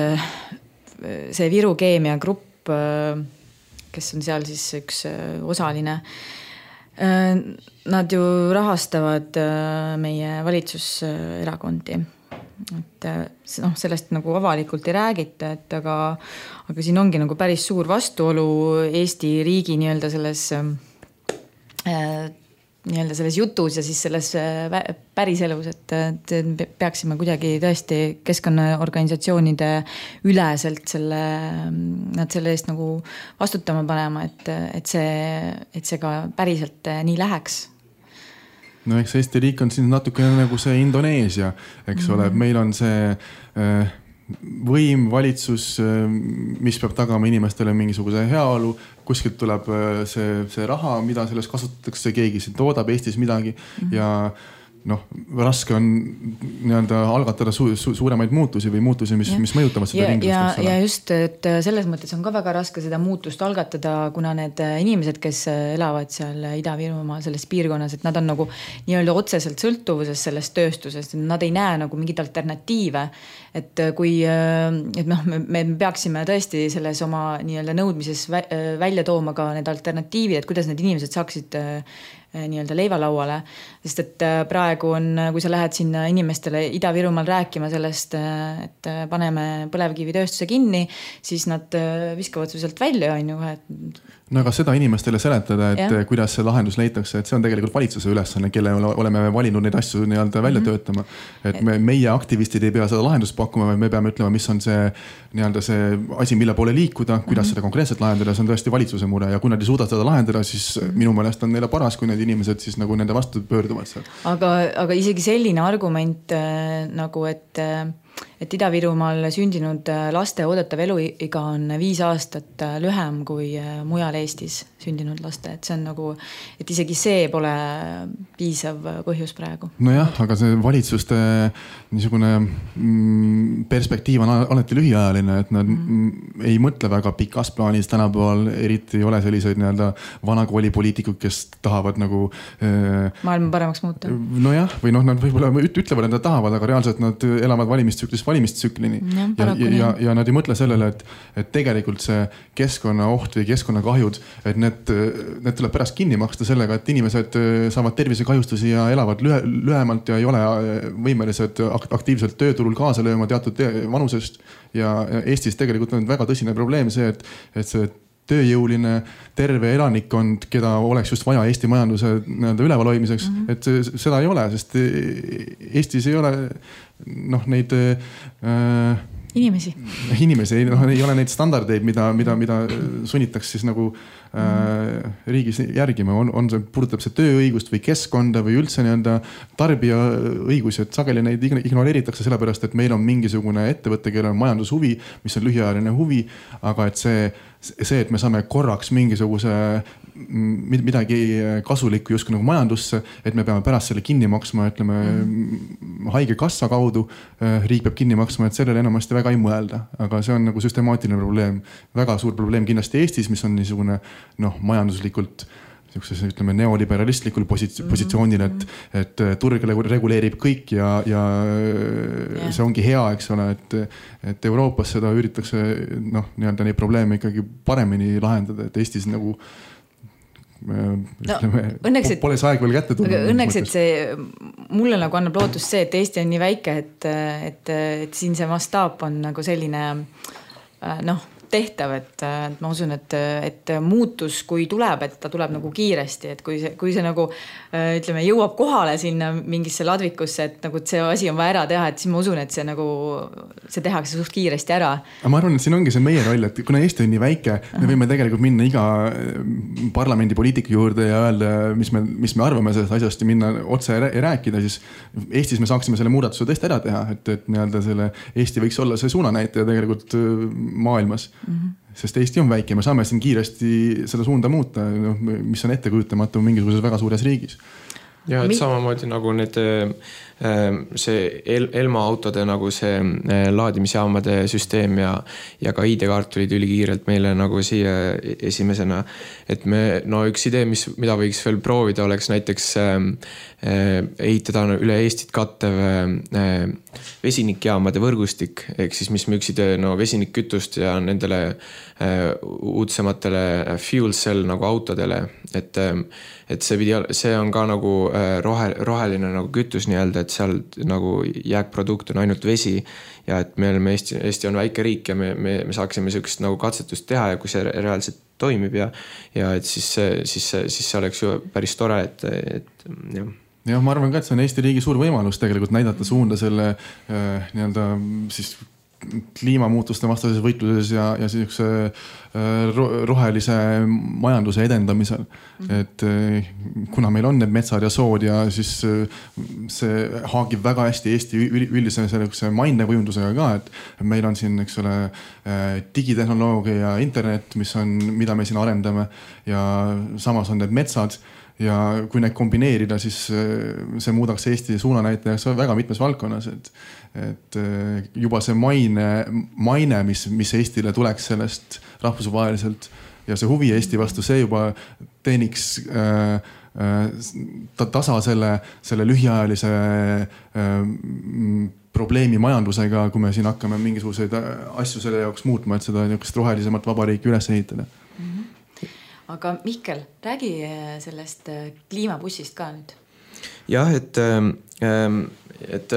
see Viru Keemia grupp, kes on seal siis üks osaline, nad ju rahastavad meie valitsuserakondi. Et noh, sellest nagu avalikult ei räägita, et aga, aga siin ongi nagu päris suur vastuolu Eesti riigi nii-öelda selles, nii-öelda selles jutus ja siis selles päriselus, et, et peaksime kuidagi tõesti keskkonnaorganisatsioonide üleselt selle, nad selle eest nagu vastutama panema, et, et, see, et see ka päriselt nii läheks. No eks Eesti riik on siin natuke nagu see Indoneesia, eks ole, mm-hmm. meil on see võim, valitsus, mis peab tagama inimestele mingisuguse heaolu, kuskilt tuleb see, see raha, mida selles kasutatakse, keegi siin toodab Eestis midagi mm-hmm. ja noh, raske on nii-öelda algatada su su suuremaid muutusi või muutusi, mis, mis mõjutavad seda ringlust. Ja, ja just, et selles mõttes on ka väga raske seda muutust algatada, kuna need inimesed, kes elavad seal Ida-Virumaal selles piirkonnas, et nad on nagu nii-öelda otseselt sõltuvuses sellest tööstusest, nad ei näe nagu mingit alternatiive. Et kui, et noh, me, me peaksime tõesti selles oma nii-öelda nõudmises välja tooma ka need alternatiivid, et kuidas need inimesed saaksid nii-öelda leivalauale, sest et praegu on, kui sa lähed sinna inimestele Ida-Virumaal rääkima sellest, et paneme põlevkivitööstuse kinni, siis nad viskavad su sealt välja, on ju. No aga seda inimestele seletada, et ja. Kuidas see lahendus leitakse, et see on tegelikult valitsuse ülesanne, kelle oleme valinud neid asju nii-öelda välja mm-hmm. töötama. Et me, meie aktivistid ei pea seda lahendust pakkuma, vaid me peame ütlema, mis on see, nii-öelda see asi, mille poole liikuda, kuidas mm-hmm. seda konkreetselt lahendada, see on tõesti valitsuse mure ja kui nad ei suuda seda lahendada, siis mm-hmm. minu meelest on neile paras, kui need inimesed siis nagu nende vastu pöörduvad seal. Aga, aga isegi selline argument nagu, et, et Ida-Virumaal sündinud laste oodatav eluiga on viis aastat lühem kui mujal Eestis sündinud laste, et see on nagu, et isegi see pole piisav põhjus praegu. Nojah, aga see valitsuste niisugune perspektiiv on alati lühiajaline, et nad mm. ei mõtle väga pikas plaanis tänapäeval, eriti ei ole selliseid nii-öelda vanakoolipoliitikud, kes tahavad nagu maailma paremaks muuta. Nojah, või noh, nad võib-olla ütlevad, et nad tahavad, aga reaalselt nad elavad valimistsüklist valimistsüklini ja, ja, ja, ja, ja nad ei mõtle sellele, et, et tegelikult see keskkonnaoht või keskkonnakahjud, et need, need tuleb pärast kinni maksta sellega, et inimesed saavad tervisekahjustusi ja elavad lühe, lühemalt ja ei ole võimelised aktiivselt tööturul kaasa lööma teatud vanusest ja Eestis tegelikult on väga tõsine probleem see, et, et see tööjõuline terve elanikkond, keda oleks just vaja Eesti majanduse üleval hoidmiseks, mm-hmm. et seda ei ole, sest Eestis ei ole noh, neid äh, inimesi, inimesi ei, no, ei ole neid standardeid, mida, mida, mida sunnitakse siis nagu äh, riigis järgima, on, on see, puudutab see tööõigust või keskkonda või üldse nii-öelda tarbija õigusi, et sageli neid ignoreeritakse sellepärast, et meil on mingisugune ettevõte, kellel on majandushuvi, mis on lühiajaline huvi, aga et see see, et me saame korraks mingisuguse midagi kasulikku justkui nagu majandusse, et me peame pärast selle kinni maksma, ütleme mm. haige kassa kaudu, riik peab kinni maksma, et sellele enamasti väga ei mõelda, aga see on nagu süstemaatiline probleem. Väga suur probleem kindlasti Eestis, mis on niisugune noh, majanduslikult ütleme neoliberalistlikul positsioonil, et, et turg reguleerib kõik ja, ja yeah. see ongi hea, eks ole, et, et Euroopas seda üritatakse noh, nii-öelda neid probleeme ikkagi paremini lahendada, et Eestis nagu no, ütleme, õnneks, et, pole see aeg veel kätte tulnud. Õnneks, et see mulle nagu annab lootust see, et Eesti on nii väike, et, et, et siin see mastaap on nagu selline noh, tehtav, et, et ma usun, et, et muutus, kui tuleb, et ta tuleb nagu kiiresti, et kui see, kui see nagu ütleme, jõuab kohale sinna mingisse ladvikusse, et nagu et see asi on vaja ära teha, et siis ma usun, et see nagu see tehakse suht kiiresti ära. Aga ma arvan, et siin ongi see meie roll, et kuna Eesti on nii väike, me võime tegelikult minna iga parlamendi poliitiku juurde ja öelda, mis me, mis me arvame sellest asjast ja minna otse rääkida, siis Eestis me saaksime selle muudatuse tõesti ära teha, et, et nii-öelda selle Eesti võiks olla see suunanäitaja tegelikult maailmas. Mm-hmm. Sest Eesti on väike, me saame siin kiiresti seda suunda muuta, mis on etteküjutamatu mingisuguses väga suures riigis. ja et Mi- samamoodi nagu need see El- Elma autode nagu see laadimisjaamade süsteem ja, ja ka I D-kaart tulid ülikiirelt meile nagu siia esimesena. Et me, no üks idee, mis, mida võiks veel proovida, oleks näiteks äh, ehitada üle Eestit kattev äh, vesinikjaamade võrgustik, ehk siis mis müüksid no, vesinikkütust ja nendele äh, uudsematele fuel cell nagu autodele, et äh, et see pidi, see on ka nagu rohe, roheline nagu kütus nii-öelda, et seal nagu jääkprodukt on ainult vesi ja et me oleme Eesti, Eesti on väike riik ja me, me, me saaksime sellist nagu katsetust teha ja kui see reaalselt toimib ja, ja et siis, siis, siis see oleks ju päris tore, et, et jah. jah, ma arvan ka, et see on Eesti riigi suur võimalus tegelikult näidata suunda selle äh, nii-öelda siis kliimamuutuste vastases võitluses ja, ja sellise rohelise majanduse edendamisel. Mm-hmm. Et kuna meil on need metsad ja sood ja siis see haagib väga hästi Eesti üldise sellise mainekujundusega ka, et meil on siin, eks ole, digitehnoloogia ja internet, mis on, mida me siin arendame ja samas on need metsad. Ja kui neid kombineerida, siis see muudaks Eesti suunanäitajaks väga mitmes valdkonnas, et, et juba see maine, maine mis, mis Eestile tuleks sellest rahvusvaheliselt ja see huvi Eesti vastu, see juba teeniks äh, äh, tasa selle, selle lühiajalise äh, probleemi majandusega, kui me siin hakkame mingisuguseid asju selle jaoks muutma, et seda niisugust rohelisemat vabariiki üles ehitada. Aga Mihkel, räägi sellest kliimabussist ka nüüd. Jah, et, et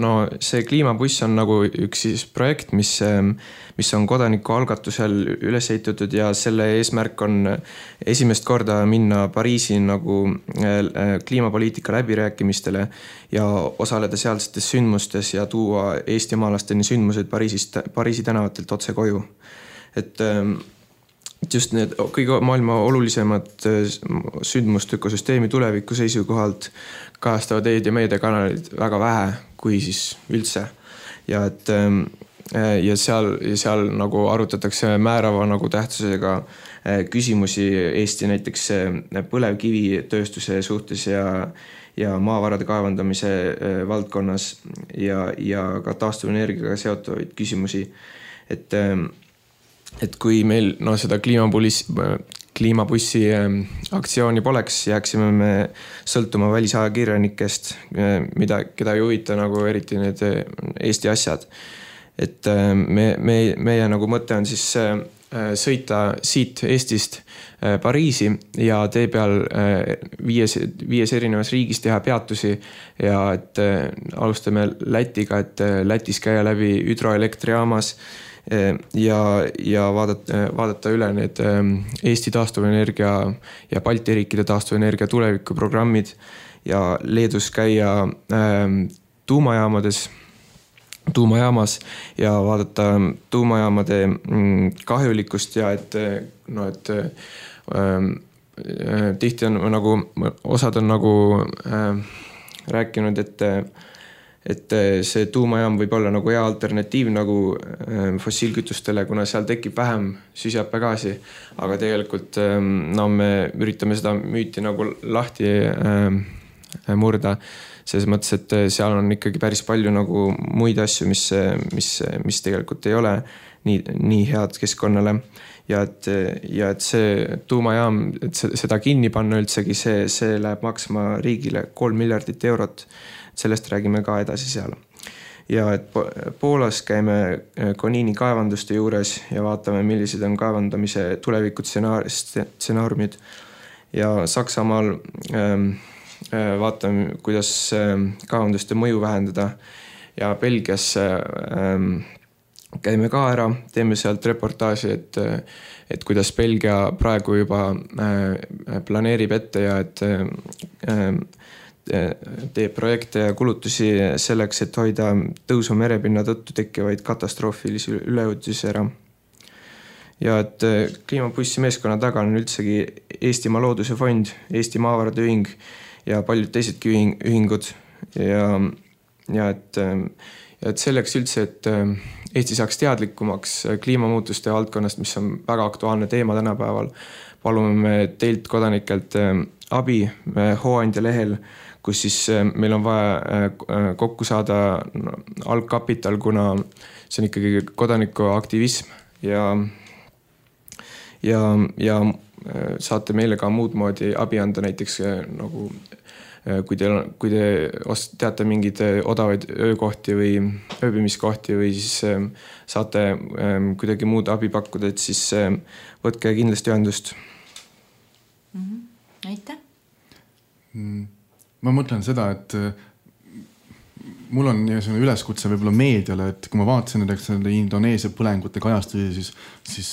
no see kliimabuss on nagu üks siis projekt, mis, mis on kodaniku algatusel üles ehitatud ja selle eesmärk on esimest korda minna Pariisi nagu kliimapoliitika läbirääkimistele ja osaleda sealsetes sündmustes ja tuua eestimaalasteni sündmused Pariisist, Pariisi tänavatelt otse koju. Et just need kõige maailma olulisemad sündmust ökosüsteemi tuleviku seisukohalt kajastavad eed- ja meediakanalid väga vähe, kui siis üldse. Ja, et, ja, seal, ja seal nagu arutatakse määrava nagu tähtsusega küsimusi Eesti näiteks põlevkivitööstuse suhtes ja, ja maavarade kaevandamise valdkonnas ja, ja ka taastuvenergiaga seotuvaid küsimusi. Et Et kui meil no, seda kliimabussi, kliimabussi aktsiooni poleks, jääksime me sõltuma välisajakirjanikest, mida, keda ei huvita nagu eriti need Eesti asjad. Et me, me, meie nagu mõte on siis sõita siit Eestist Pariisi ja tee peal viies, viies erinevas riigis teha peatusi ja et alustame Lätiga, et Lätis käia läbi hüdroelektrijaamas ja, ja vaadata, vaadata üle need Eesti taastuvenergia ja Balti riikide taastuvenergia tulevikuprogrammid ja Leedus käia tuumajaamades, tuumajaamas ja vaadata tuumajaamade kahjulikkust ja et, no, et ähm, tihti on nagu, osad on nagu äh, rääkinud, et et see tuumajaam võib olla nagu hea alternatiiv nagu fossiilkütustele, kuna seal tekib vähem süsihappegaasi, aga tegelikult no, me üritame seda müüti nagu lahti murda, selles mõttes, et seal on ikkagi päris palju nagu muid asju, mis, mis, mis tegelikult ei ole nii, nii head keskkonnale ja et, ja et see tuumajaam, et seda kinni panna üldsegi, see, see läheb maksma riigile kolm miljardit eurot. Sellest räägime ka edasi seal. Ja et Poolas käime Konini kaevanduste juures ja vaatame, millised on kaevandamise tulevikud stsenaariumid. Ja Saksamaal ähm, vaatame, kuidas kaevanduste mõju vähendada ja Belgias ähm, käime ka ära, teeme sealt reportaaži, et, et kuidas Belgia praegu juba äh, planeerib ette ja et äh, teeb projekte ja kulutusi selleks, et hoida tõusu merepinna tõttu tekkivaid katastroofilisi üleujutusi ära. Ja et kliimabussi meeskonna taga on üldsegi Eestimaa Looduse Fond, Eesti Maavarade Ühing ja paljud teisedki ühingud ja, ja, et, ja et selleks üldse, et Eesti saaks teadlikumaks kliimamuutuste valdkonnast, mis on väga aktuaalne teema tänapäeval, palume me teilt kodanikelt abi Hooandja lehel kus siis meil on vaja kokku saada algkapital, kuna see on ikkagi kodanikuaktivism ja, ja, ja saate meile ka muud moodi abi anda, näiteks nagu kui te, kui te teate mingeid odavaid öökohti või ööbimiskohti või siis saate kuidagi muud abi pakkuda, et siis võtke kindlasti ühendust. Mm-hmm. Aitäh! Ma mõtlen seda, et mul on selline üleskutse võib-olla meediale, et kui ma vaatasin näiteks Indoneesia põlengute kajastusi, siis, siis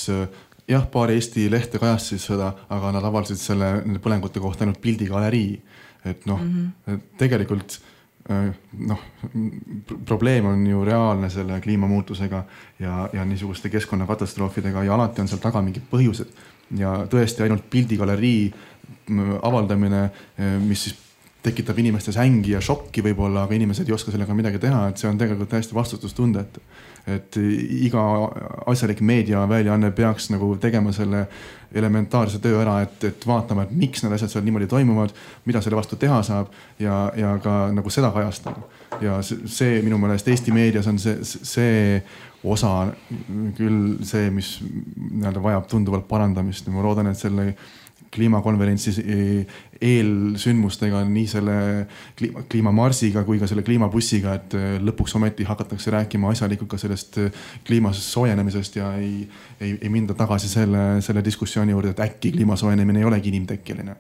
jah, paar Eesti lehte kajastasid seda, aga nad avaldasid selle nende põlengute kohta ainult pildigalerii. Et noh, mm-hmm. tegelikult noh, probleem on ju reaalne selle kliimamuutusega ja, ja niisuguste keskkonnakatastroofidega ja alati on seal taga mingid põhjused. Ja tõesti ainult pildigalerii avaldamine, mis siis tekitab inimestes ängi ja šokki võib-olla, aga inimesed ei oska sellega midagi teha, et see on tegelikult täiesti vastutustundet. Et iga asjalik meediaväljaanne peaks nagu tegema selle elementaarse töö ära, et, et vaatama, et miks need asjad seal niimoodi toimuvad, mida selle vastu teha saab ja, ja ka nagu seda kajastada. Ja see, see minu meelest Eesti meedias on see, see osa küll see, mis nii-öelda vajab tunduvalt parandamist. Ma loodan, et selle kliimakonverentsi eelsündmustega, nii selle kliima, kliimamarsiga kui ka selle kliimabussiga, et lõpuks ometi hakatakse rääkima asjalikult ka sellest kliimas soojenemisest ja ei, ei, ei minda tagasi selle, selle diskussiooni juurde, et äkki kliimasoojenemine ei olegi inimtekkeline.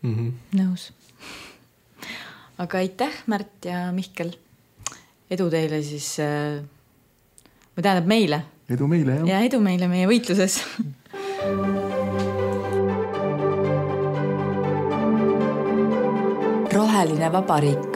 Mm-hmm. Nõus. Aga aitäh, Märt ja Mihkel. Edu teile siis, või tähendab meile. Edu meile, jah. Ja edu meile meie võitluses. Roheline vabariik.